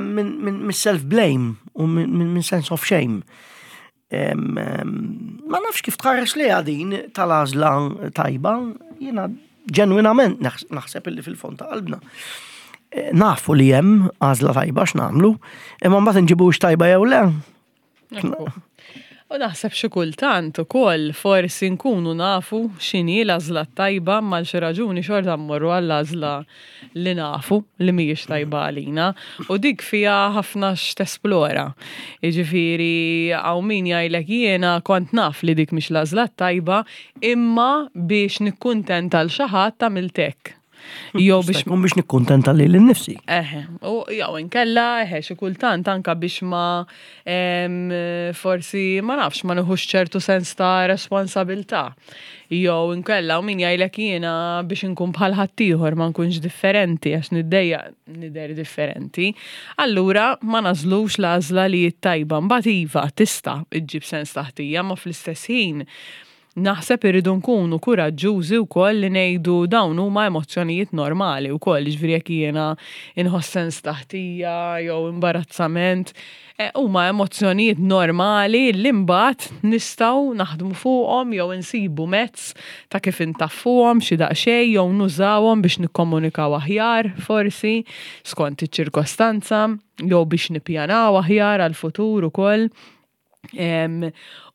minn self-blame u minn sense of shame. Ma nafx kif tħares li din tal-għażla tajba, jiena ġenwinament naħseb illi fil-fond ta' qalbna. Eh, nafu li hemm għażla tajba x'nagħmlu, imma mbagħad inġibux tajba jew le. U naħseb xi kultant ukoll forsi nkunu nafu x'inhi l-għażla t-tajba imma għal xi raġuni xorta mmorru għall-għażla li nafu li mhijiex tajba għalina u dik fiha ħafna x'tesplora. Jiġifieri hawn min jgħidlek jiena kont naf li dik mhix l-għażla t-tajba imma biex nikkuntenta 'l xi ħadd għamilt hekk. Jew biex Kun biex nikkuntenta lili nnifsi. Eħe, u jew inkella eħe xi kultant anka biex ma forsi ma nafx ma nieħux ċertu sens ta' responsabilità. Jew inkella u min jgħidlek jiena biex inkun bħal ħaddieħor ma nkunx differenti għax niddejjaq nidher differenti. Allura ma nagħżlux l-għażla li hi t-tajba. Mbagħad iva tista' ġġib sens ta' ħtija ma fl-istess ħin Naħseb irridu nkunu kuraġġużi wkoll li ngħidu dawn huma emozzjonijiet normali wkoll, jiġifieri jekk jiena inħoss sens ta' ħtija jew imbarazzament, eh, huma emozzjonijiet normali li mbagħad nistgħu naħdmu fuqhom jew insibu mezz ta' kif intaffuhom xi daqsxejn jew nużawhom biex nikkomunikaw aħjar forsi skont iċ-ċirkostanza jew biex nippjanaw aħjar għall-futur ukoll.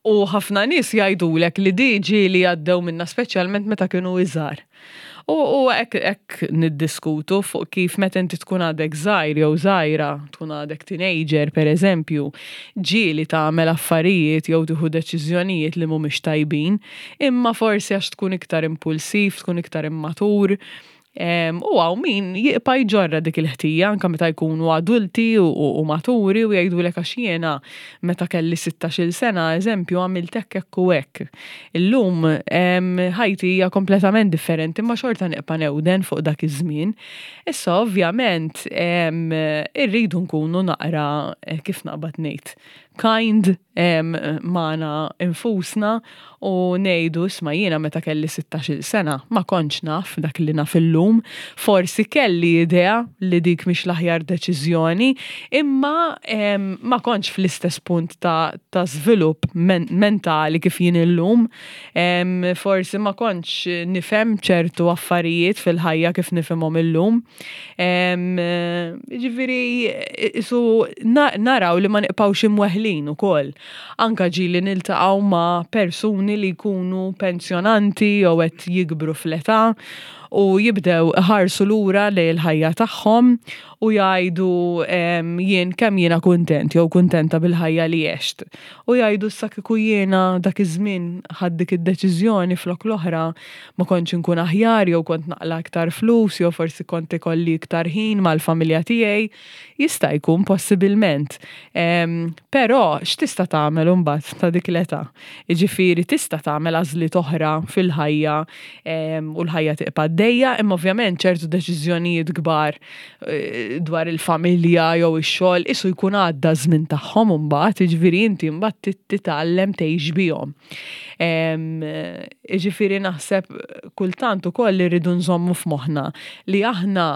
U ħafna nies jgħidulek li di ġieli għaddew minna speċjalment meta kienu iżgħar. U hekk niddiskutu fuq kif meta inti tkun għadek żgħir jew żgħira, tkun għadek teenager pereżempju, ġieli tagħmel affarijiet jew tieħu deċiżjonijiet li mhumiex tajbin, imma forsi għax tkun iktar impulsiv, tkun iktar immatur, U hawn min jiqpa' jġorra dik il-ħtija anke meta jkunu adulti u maturi u jgħidulek għax jiena meta kelli sittax-il sena, eżempju, għamilt hekk hekk u hekk. Illum ħajti hija kompletament differenti imma xorta nibqa' newden fuq dak iż-żmien. Issa ovvjament irridu nkunu naqra kif naqbad ngħid? kind magħna infusna u ngħidu isma' jiena meta kelli 16-il sena ma kontx naf dak li naf illum, forsi kelli idea li dik mhix l-aħjar deċiżjoni, imma ma kontx fl-istess punt ta' ta' żvilupp mentali kif jien illum, forsi ma kontx nifhem ċertu affarijiet fil-ħajja kif nifhimhom illum. Ġifieri isu naraw li ma nibqgħux imweħlin ukoll. Anka ġieli niltaqgħu ma' persuni li jkunu pensjonanti jew qed jikbru fl-età u jibdew iħarsu lura lejn il-ħajja tagħhom u jgħidu jien kemm jiena kuntent jew kuntenta bil-ħajja li għext. U jgħidu issa kieku jiena dak iż-żmien ħadt dik id-deċiżjoni flok l-oħra ma kontx inkun aħjar jew kont naqla' iktar flus jew forsi kont ikolli iktar ħin mal-familja tiegħi. Jista' jkun possibilment. Però x'tista' tagħmel imbagħad ta' dik l-età? Jiġifieri tista' tagħmel għażliet oħra fil-ħajja u l-ħajja tibqa' għaddejja, imma ovvjament ċertu deċiżjonijiet kbar eh, dwar il-familja jew ix-xogħol isu jkun għadda żmien tagħhom imbagħad, jiġifieri inti mbagħad titgħallem tgħix bihom. Jiġifieri naħseb kultant ukoll irridu nżommu f'moħħna li aħna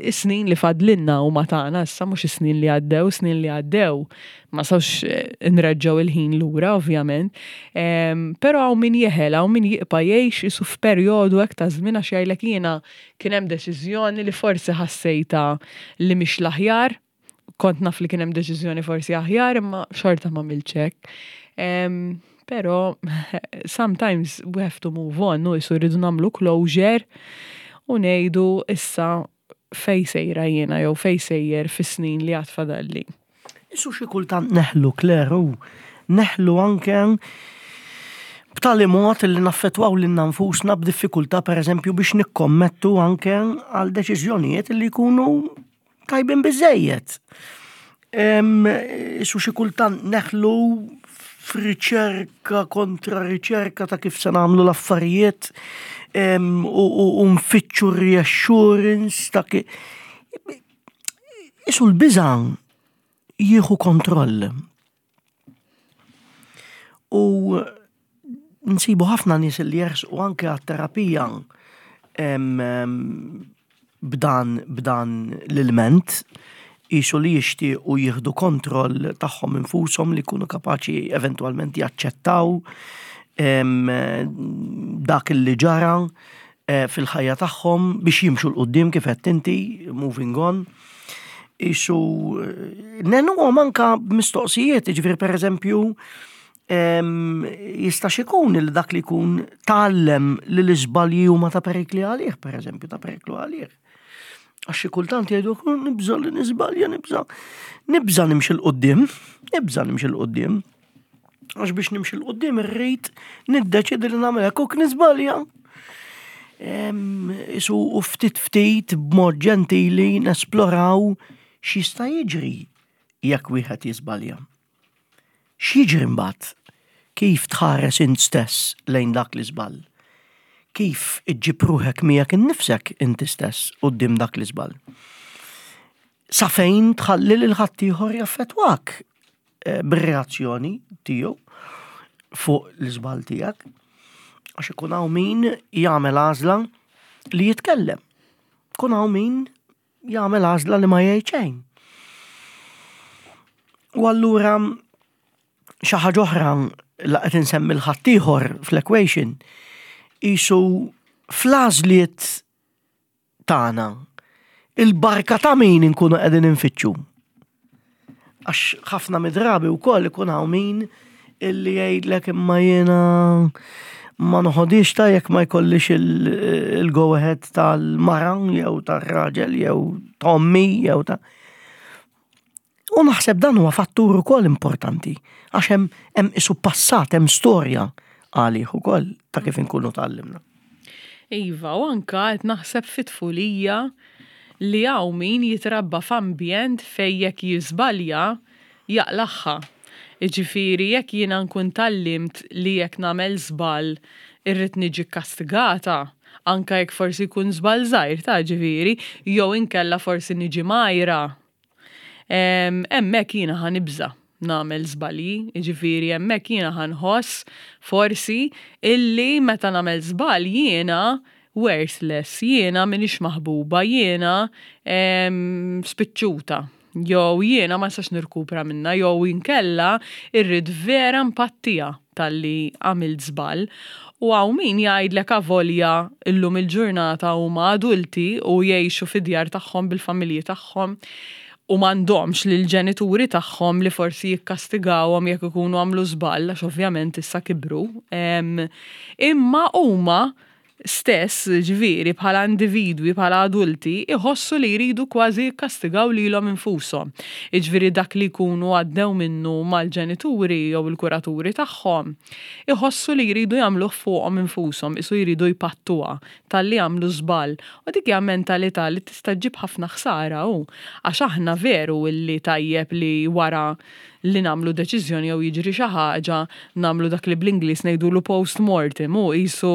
is-snin li fadlinna huma tagħna issa mhux is-snin li għaddew, snin li għaddew ma sawx eh, nreġġgħu il-ħin lura ovvjament. Però hawn min jeħel, hawn min jibqa' jgħix isu f'perjodu hekk ta' żmien għax jgħidlek jiena kien hemm deċiżjoni li forsi ħassejta li mhix l-aħjar kont naf li kien hemm deċiżjoni forsi aħjar imma xorta ma għamiltx hekk. Però sometimes we have to move on, u jisu rridu nagħmlu closure u ngħidu issa fej sejra jiena jew fej sejjer fis-snin li għad fadalli. Isu xi kultant neħlu Claire u neħlu anke b'tali mod li naffettwaw lilna nfusna b'diffikultà pereżempju biex nikkommettu anke għal deċiżjonijiet li jkunu tajbin biżejjed. Isu xi kultant neħlu f'riċerka kontra riċerka ta' kif se nagħmlu l-affarijiet u nfittxu reassurance ta' kif. Isu l-biża' jieħu kontroll. U nsibu ħafna nies li jersqu anke għat-terapija b'dan b'dan l-ilment qisu li jixtiequ jieħdu kontroll tagħhom infushom li jkunu kapaċi eventwalment jaċċettaw dak li ġara eh, fil-ħajja tagħhom biex jimxu 'l quddiem kif qed inti, moving on. Isu eh, nenuhom anka b'mistoqsijiet, jiġifieri pereżempju jistax ikun li dak li jkun tgħallem li l-iżbalji huma ta' perikli għalih, pereżempju, ta' periklu għalih. Għax xi kultant jgħidu nibża' li niżbalja, nibża' nibża' nimxi 'l quddiem, nibża' nimxi 'l quddiem. Għax biex nimxi 'l quddiem irrid niddeċidi li nagħmel hekk u niżbalja. Isu u ftit ftit b'mod ġentili nesploraw x'jista' jiġri jekk wieħed jiżbalja. X'jiġri mbagħad? Kif tħares int stess lejn dak l-iżball? Kif iġġib ruħek miegħek innifsek inti stess quddiem dak l-iżball? Sa fejn tħalli lil ħaddieħor jaffettwak eh, bir-reazzjoni tiegħu fuq l-iżball tiegħek? Għax ikun hawn min jagħmel għażla li jitkellem. Kun hawn min jagħmel għażla li ma jgħid xejn. U allura xi ħaġa oħra la qed insemmi l-ħaddieħor fl-equation isu fl-għażliet tagħna il-barka ta' min inkunu qegħdin infittxu. Għax ħafna mid-drabi wkoll ikun hawn min illi jgħidlek imma jiena ma noħodix ta' jekk ma jkollix il-go ahead tal-mara jew tar-raġel jew ta' ommi jew ta' U naħseb dan huwa fattur ukoll importanti għax hemm hemm isu passat, hemm storja għalih ukoll ta' kif inkunu tgħallimna. Iva, u anka qed naħseb fit-tfulija li hawn min jitrabba f'ambjent fejn jekk jiżbalja jaqlagħha. Jiġifieri jekk jiena nkun tgħallimt li jekk nagħmel żball irrid niġi kkastigata, anka jekk forsi jkun żball żgħir ta' ġifieri, jew inkella forsi niġi mgħajra, hemmhekk jiena ħa nibża'. nagħmel żbalji, jiġifieri hemmhekk jiena ħa nħoss forsi illi meta nagħmel żball jiena worthless, jiena m'iniex maħbuba, jiena spiċċuta, jew jiena ma nistax nirkupra minnha, jew inkella irrid vera npattiha talli għamilt żball. U hawn min jgħidlek avolja llum il-ġurnata huma adulti u jgħixu fid-djar tagħhom bil-familji tagħhom u m'għandhomx lill-ġenituri tagħhom li forsi jikkastigawhom jekk ikunu għamlu żball għax ovvjament issa kibru. Imma huma stess, ġifieri bħala individwi, bħala adulti, iħossu li jridu kważi jikkastigaw lilhom infushom. Jiġifieri dak li jkunu għaddew minnu mal-ġenituri jew il-kuraturi tagħhom, iħossu li jridu jagħmluh fuqhom infushom, qisu jridu jpattuha talli għamlu żball. U dik hija mentalità li tista' ġġib ħafna ħsara hu. Għax aħna veru illi tajjeb li wara li nagħmlu deċiżjoni jew jiġri xi ħaġa nagħmlu dak li bl-Ingliż ngħidulu post mortem u qisu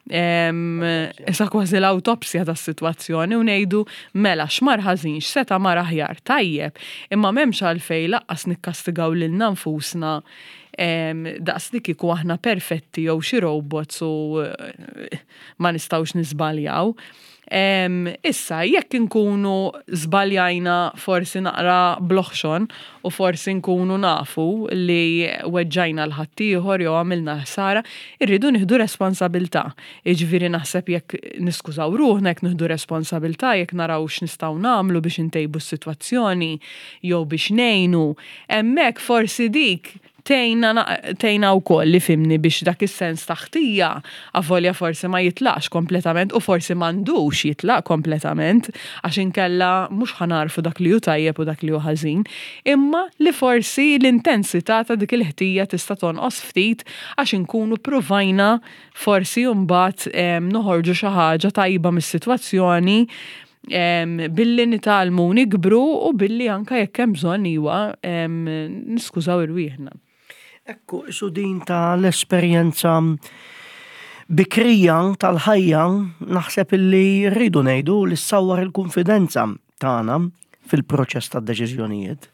issa kważi l-awtopsja tas-sitwazzjoni u ngħidu mela x'mar ħażin, x'seta' mar aħjar, tajjeb, imma m'hemmx għalfejn lanqas nikkastigaw lilna nfusna daqs li kieku aħna perfetti jew xi robots u ma nistgħux niżbaljaw. Issa, jekk inkunu żbaljajna forsi naqra bl-oħxon u forsi nkunu nafu li weġġajna 'l ħaddieħor jew għamilna ħsara, irridu nieħdu responsabilità. Jiġifieri naħseb jekk niskużaw ruħna, jekk nieħdu responsabilità, jekk naraw x'nistgħu nagħmlu biex intejbu s-sitwazzjoni jew biex ngħinu, hemmhekk forsi dik Tgħinna tgħinna wkoll ifhimni biex dak is-sens ta' ħtija avolja forsi ma jitlaqx kompletament u forsi m'għandux jitlaq kompletament għax inkella mhux ħa nagħrfu dak li hu tajjeb u dak li hu ħażin, imma li forsi l-intensità ta' dik il-ħtija tista' tonqos ftit għax inkunu ppruvajna forsi mbagħad noħorġu xi ħaġa tajba mis-sitwazzjoni billi nitgħallmu u nikbru u billi anka jekk hemm bżonn iwa niskużaw irwieħna. Ekku, isu din ta' l-esperjenza bikrija tal-ħajja naħseb illi rridu ngħidu li ssawwar il-kunfidenza tagħna fil-proċess tad-deċiżjonijiet.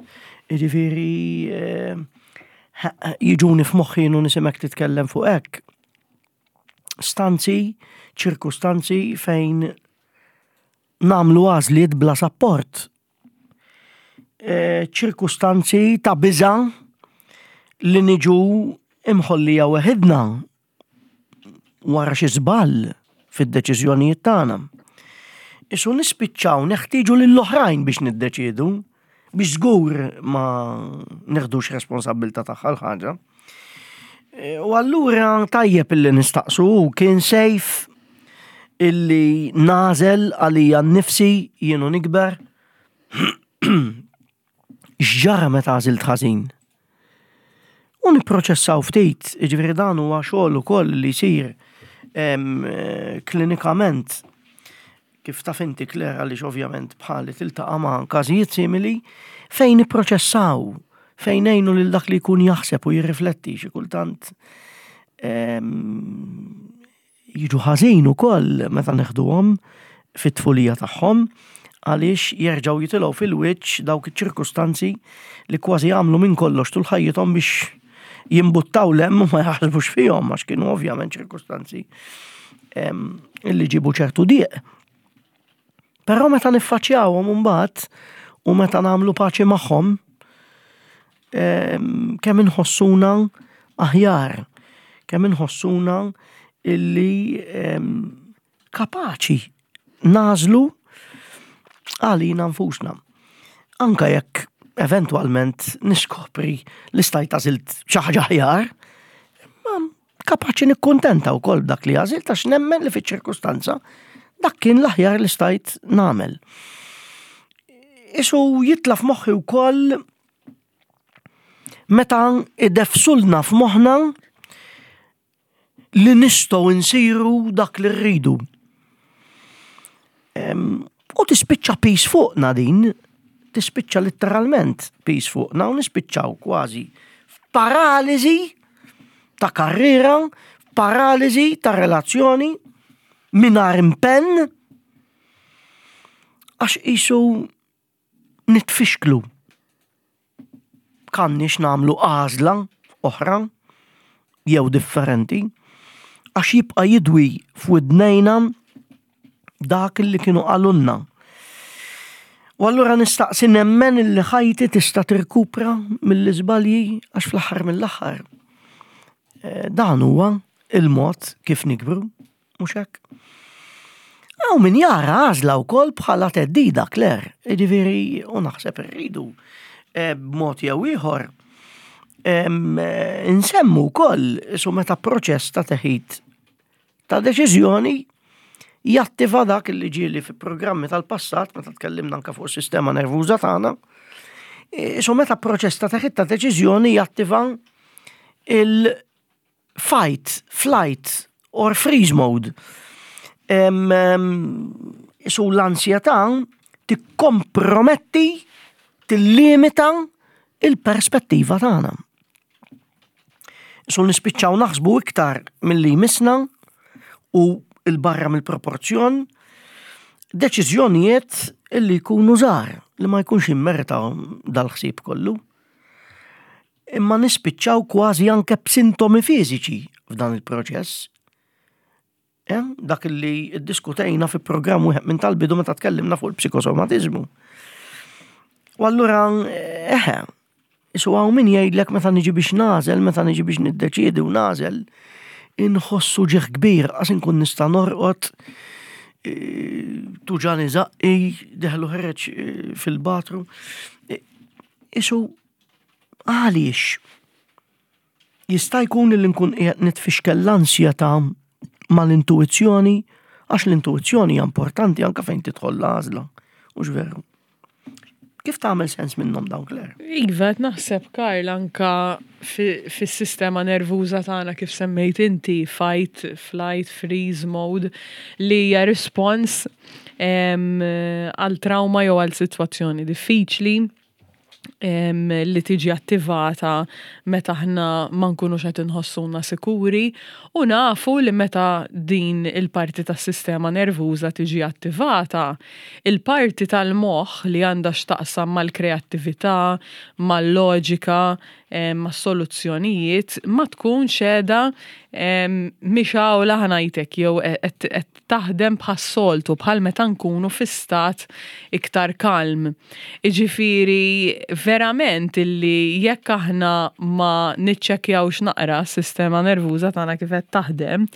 Jiġifieri eh, jiġuni f'moħħi u nisimek titkellem fuq hekk. Stanzi, ċirkustanzi fejn nagħmlu għażliet bla sapport. E, ċirkustanzi ta' biża' li niġu imħollija weħidna wara xi żball fid-deċiżjonijiet tagħna. Isu nispiċċaw neħtieġu lill-oħrajn biex niddeċiedu biex żgur ma neħdux responsabbiltà tagħha l-ħaġa. E, u allura tajjeb illi nistaqsu kien sejf illi nażel għalija nnifsi jienu nikber. X'ġara meta għażilt ħażin? U nipproċessaw ftit, jiġifieri dan huwa xogħol ukoll li jsir klinikament kif taf inti Claire għaliex ovvjament bħali tiltaqa' ma' każijiet simili fejn nipproċessaw, fejn ngħinu lil dak li jkun jaħseb u jirrifletti xi kultant jiġu ħażin ukoll meta neħduhom fit-tfulija tagħhom għaliex jerġgħu jitilgħu fil-wiċċ dawk iċ-ċirkustanzi li kważi għamlu minn kollox tul ħajjithom biex jimbuttaw lem u ma jaħsbux fihom għax kienu ovvjament ċirkustanzi illi ġibu ċertu dieq. Però meta niffaċċjawhom imbagħad u meta nagħmlu paċi magħhom, kemm inħossuna aħjar, kemm inħossuna illi kapaċi nagħżlu għalina nfusna. Anka jekk eventwalment niskopri li stajt għażilt xi ħaġa aħjar, ma kapaċi nikkuntenta wkoll b'dak li għażilt għax nemmen li fiċ-ċirkustanza dak kien l-aħjar li stajt nagħmel. Isu jitla f'moħħi wkoll meta idefsulna f'moħħna li nistgħu nsiru dak li rridu. U tispiċċa pis fuqna din, tispiċċa litteralment pis fuqna u nispiċċaw kważi f'paraliżi ta' karriera, f'paraliżi ta' relazzjoni, mingħajr impenn, għax qisu nitfixklu. jekk għandniex nagħmlu għażla oħra jew differenti, għax jibqa' jidwi f'widnejna dak li kienu qalulna. U allura nistaqsi nemmen li ħajti tista' tirkupra mill-iżbalji għax fl-aħħar mill-aħħar eh, dan huwa il-mod kif nikbru, mhux hekk? Hawn min jara għażla wkoll bħala theddida, Claire, jiġifieri u naħseb irridu eh, b'mod jew ieħor eh, insemmu wkoll su meta proċess ta' teħid ta' deċiżjoni jattiva dak li ġieli fi programmi tal-passat meta tkellimna anke fuq is-sistema nervuża tagħna. Eh, su meta proċess ta' teħid ta' deċiżjoni jattiva il- fight, flight or freeze mode. Su l-ansjetà tikkomprometti, tillimita il-perspettiva tagħna. Su nispiċċaw naħsbu iktar milli jmissna u il-barra mill-proporzjon deċiżjonijiet illi jkunu żgħar li ma jkunx jimmerita dal-ħsieb kollu. Imma nispiċċaw kważi anke b'sintomi fiżiċi f'dan il-proċess. Eh, dak li ddiskutejna fi programm wieħed minn tal-bidu meta tkellimna fuq il-psikosomatiżmu. U allura, eħe, isu hawn min jgħidlek meta niġi biex nagħżel, meta niġi biex niddeċiedi u nagħżel, inħossu ġieħ kbir, qas inkun nista' norqod, eh, tuġani zaqqi, deħlu ħereġ eh, fil-batru. Eh, isu Għaliex? Jista' jkun li nkun qiegħed nitfixkel l-ansjetà mal-intuwizzjoni għax l-intuwizzjoni hija importanti anke fejn tidħol l-għażla. Mhux veru. Kif tagħmel sens minnhom dawn Claire? Iva, qed naħseb Karl anka fis-sistema nervuża tagħna kif semmejt inti, fight, flight, freeze mode, li hija rispons għal trauma jew għal sitwazzjoni diffiċli. li tiġi attivata meta aħna ma nkunux qed inħossuna sikuri u nafu li meta din il-parti tas-sistema nervuża tiġi attivata, il-parti tal-moħħ li għandha x'taqsam mal-kreattività, mal-loġika, mas-soluzzjonijiet ma tkunx qiegħda mixgħula ħa ngħidlek jew qed taħdem bħas-soltu, bħal meta nkunu fi stat iktar kalm. Iġifieri verament illi jekk aħna ma niċċekkjawx naqra s-sistema nervuża tagħna kif qed taħdem,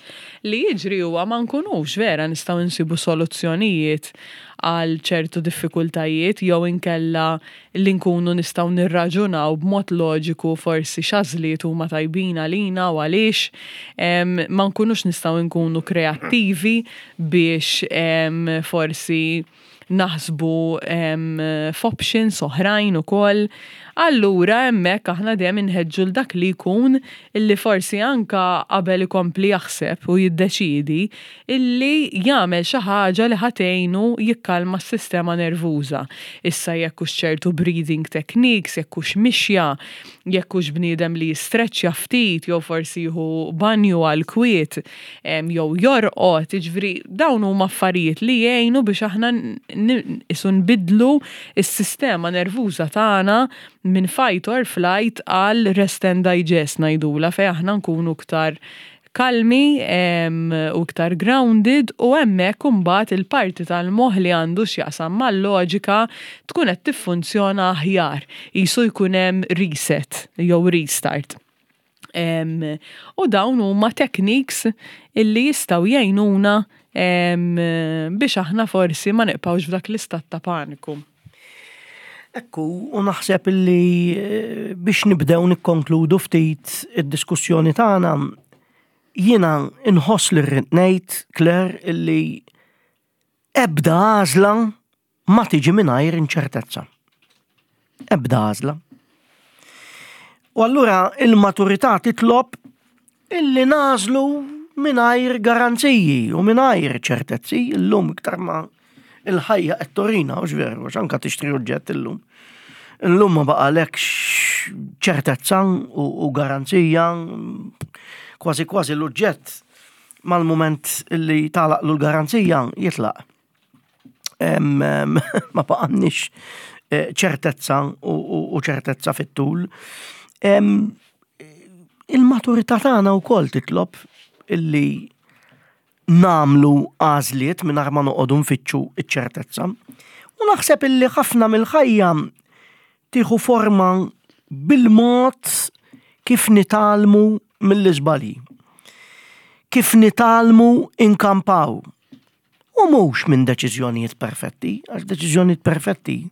li jiġri huwa ma nkunux vera nistgħu nsibu soluzzjonijiet għal ċertu diffikultajiet jew inkella li nkunu nistgħu nirraġunaw b'mod loġiku forsi x'għażliet huma tajbin għalina u għaliex, ma nkunux nistgħu nkunu kreattivi biex forsi naħsbu f'options oħrajn ukoll. Allura hemmhekk aħna dejjem inħeġġu 'l dak li jkun illi forsi anka qabel ikompli jaħseb u jiddeċiedi illi jagħmel xi ħaġa li ħa tgħinu jikkalma s-sistema nervuża. Issa jekk hux ċertu breathing techniques, jekk hux mixja, jekk hux bniedem li jistreċċja ftit jew forsi jieħu banju għall-kwiet jew jorqod, jiġifieri dawn huma affarijiet li jgħinu biex aħna qisu nbiddlu s-sistema nervuża tagħna minn fight or flight għal rest and digest ngħidulha fejn aħna nkunu iktar kalmi u iktar grounded u hemmhekk imbagħad il-parti tal-moħħ li għandu x'jaqsam mal-loġika tkun qed tiffunzjona aħjar, qisu jkun hemm reset jew restart. U dawn huma techniques illi jistgħu jgħinuna biex aħna forsi ma nibqgħux f'dak l-istat ta' paniku. Ekku, u naħseb li eh, biex nibdew nikkonkludu ftit id-diskussjoni tagħna, jiena inħoss li rrid ngħid, Claire, illi ebda għażla ma tiġi mingħajr inċertezza. Ebda għażla. U allura il-maturità titlob illi nagħżlu mingħajr garanziji u mingħajr ċertezzi illum iktar ma il-ħajja qed turina, hux veru, għax anke tixtri oġġett illum. Illum ma baqalekx ċertezza u garanzija, kważi kważi l-oġġett mal-mument li tagħlaqlu l-garanzija jitlaq. Ma baqgħanniex eh, ċertezza u u ċertezza fit-tul. Il-maturità tagħna wkoll titlob illi nagħmlu għażliet mingħajr ma noqogħdu nfittxu ċ-ċertezza. U naħseb illi ħafna mill-ħajja tieħu forma bil-mod kif nitgħallmu mill-iżbalji. Kif nitgħallmu inkampaw. U mhux minn deċiżjonijiet perfetti, għax deċiżjonijiet perfetti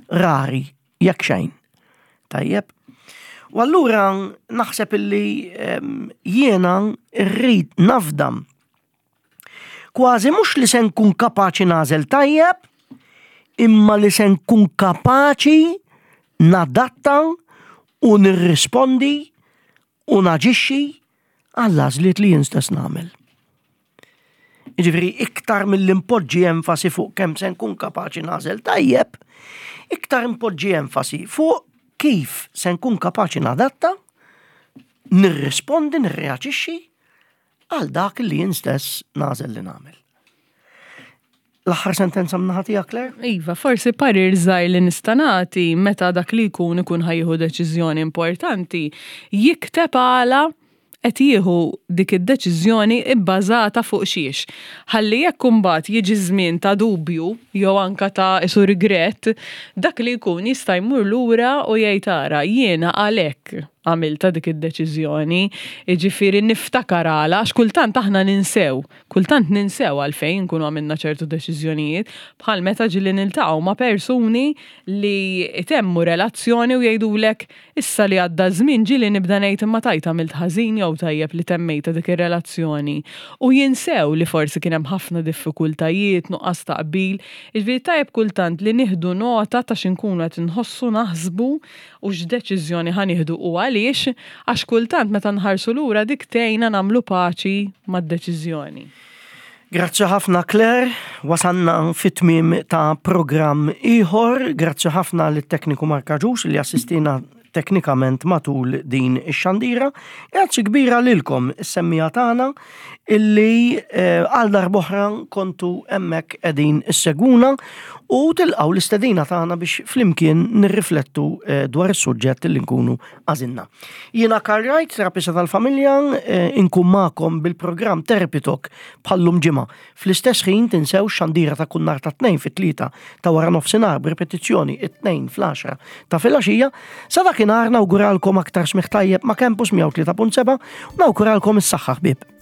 rari jekk xejn. Tajjeb. U allura naħseb illi ehm, jiena rrid nafdam kważi mhux li se nkun kapaċi nagħżel tajjeb, imma li se nkun kapaċi nadatta u nirrispondi u naġixxi għall-għażliet li jien stess nagħmel. Jiġifieri iktar milli npoġġi enfasi fuq kemm se nkun kapaċi nagħżel tajjeb, iktar npoġġi enfasi fuq kif se nkun kapaċi nadatta, nirrispondi, nirreaġixxi għal dak li jien stess nagħżel li nagħmel. L-aħħar sentenza mnaħa tiegħek, Claire? Iva, forsi parir żgħir li nista' nagħti meta dak li jkun ikun ħajjieħu deċiżjoni importanti, jikteb għala qed jieħu dik id-deċiżjoni bbażata fuq xiex. Ħalli jekk imbagħad jiġi żmien ta' dubju jew anka ta' isu rigrett, dak li jkun jista' jmur lura u jgħid ara jiena għalhekk għamiltha dik id-deċiżjoni, jiġifieri niftakar għala għax kultant aħna ninsew. Kultant ninsew għalfejn inkunu għamilna ċertu deċiżjonijiet, bħal meta ġieli niltaqgħu ma' persuni li jtemmu relazzjoni u jgħidulek issa li għadda ż-żmien ġieli nibda ngħid imma tgħid għamilt ħażin jew tajjeb li temmejtha dik ir-relazzjoni. U jinsew li forsi kien hemm ħafna diffikultajiet, nuqqas ta' qbil. Jiġifieri tajjeb kultant li nieħdu nota ta' x'inkunu qed inħossu, naħsbu u x'deċiżjoni ħa nieħdu u għaliex, għax kultant meta nħarsu lura dik tgħinna nagħmlu paċi mad-deċiżjoni. Grazzi ħafna Claire, wasalna fit-tmiem ta' programm ieħor, grazzi ħafna lit-tekniku Mark Agius li assistina teknikament matul din ix-xandira. Grazzi kbira lilkom is-semmiegħa tagħna illi eh, għal darb'oħra kontu hemmhekk qegħdin issegwuna u tilqgħu l-istedina tagħna biex flimkien nirriflettu eh, dwar is-suġġett li nkunu għażilna. Jiena Karl Wright, terapista tal-familja, eh, inkun magħkom bil-programm Therapy Talk bħallum ġimgħa. Fl-istess ħin tinsewx xandira ta' kull nhar ta' tnejn fit-tlieta ta' wara nofsinhar b'ripetizzjoni it-tnejn fl-għaxra ta' filgħaxija. Sa dakinhar nawguralkom aktar smigħ tajjeb ma' Campus 103.7 u nawguralkom is-saħħa ħbieb.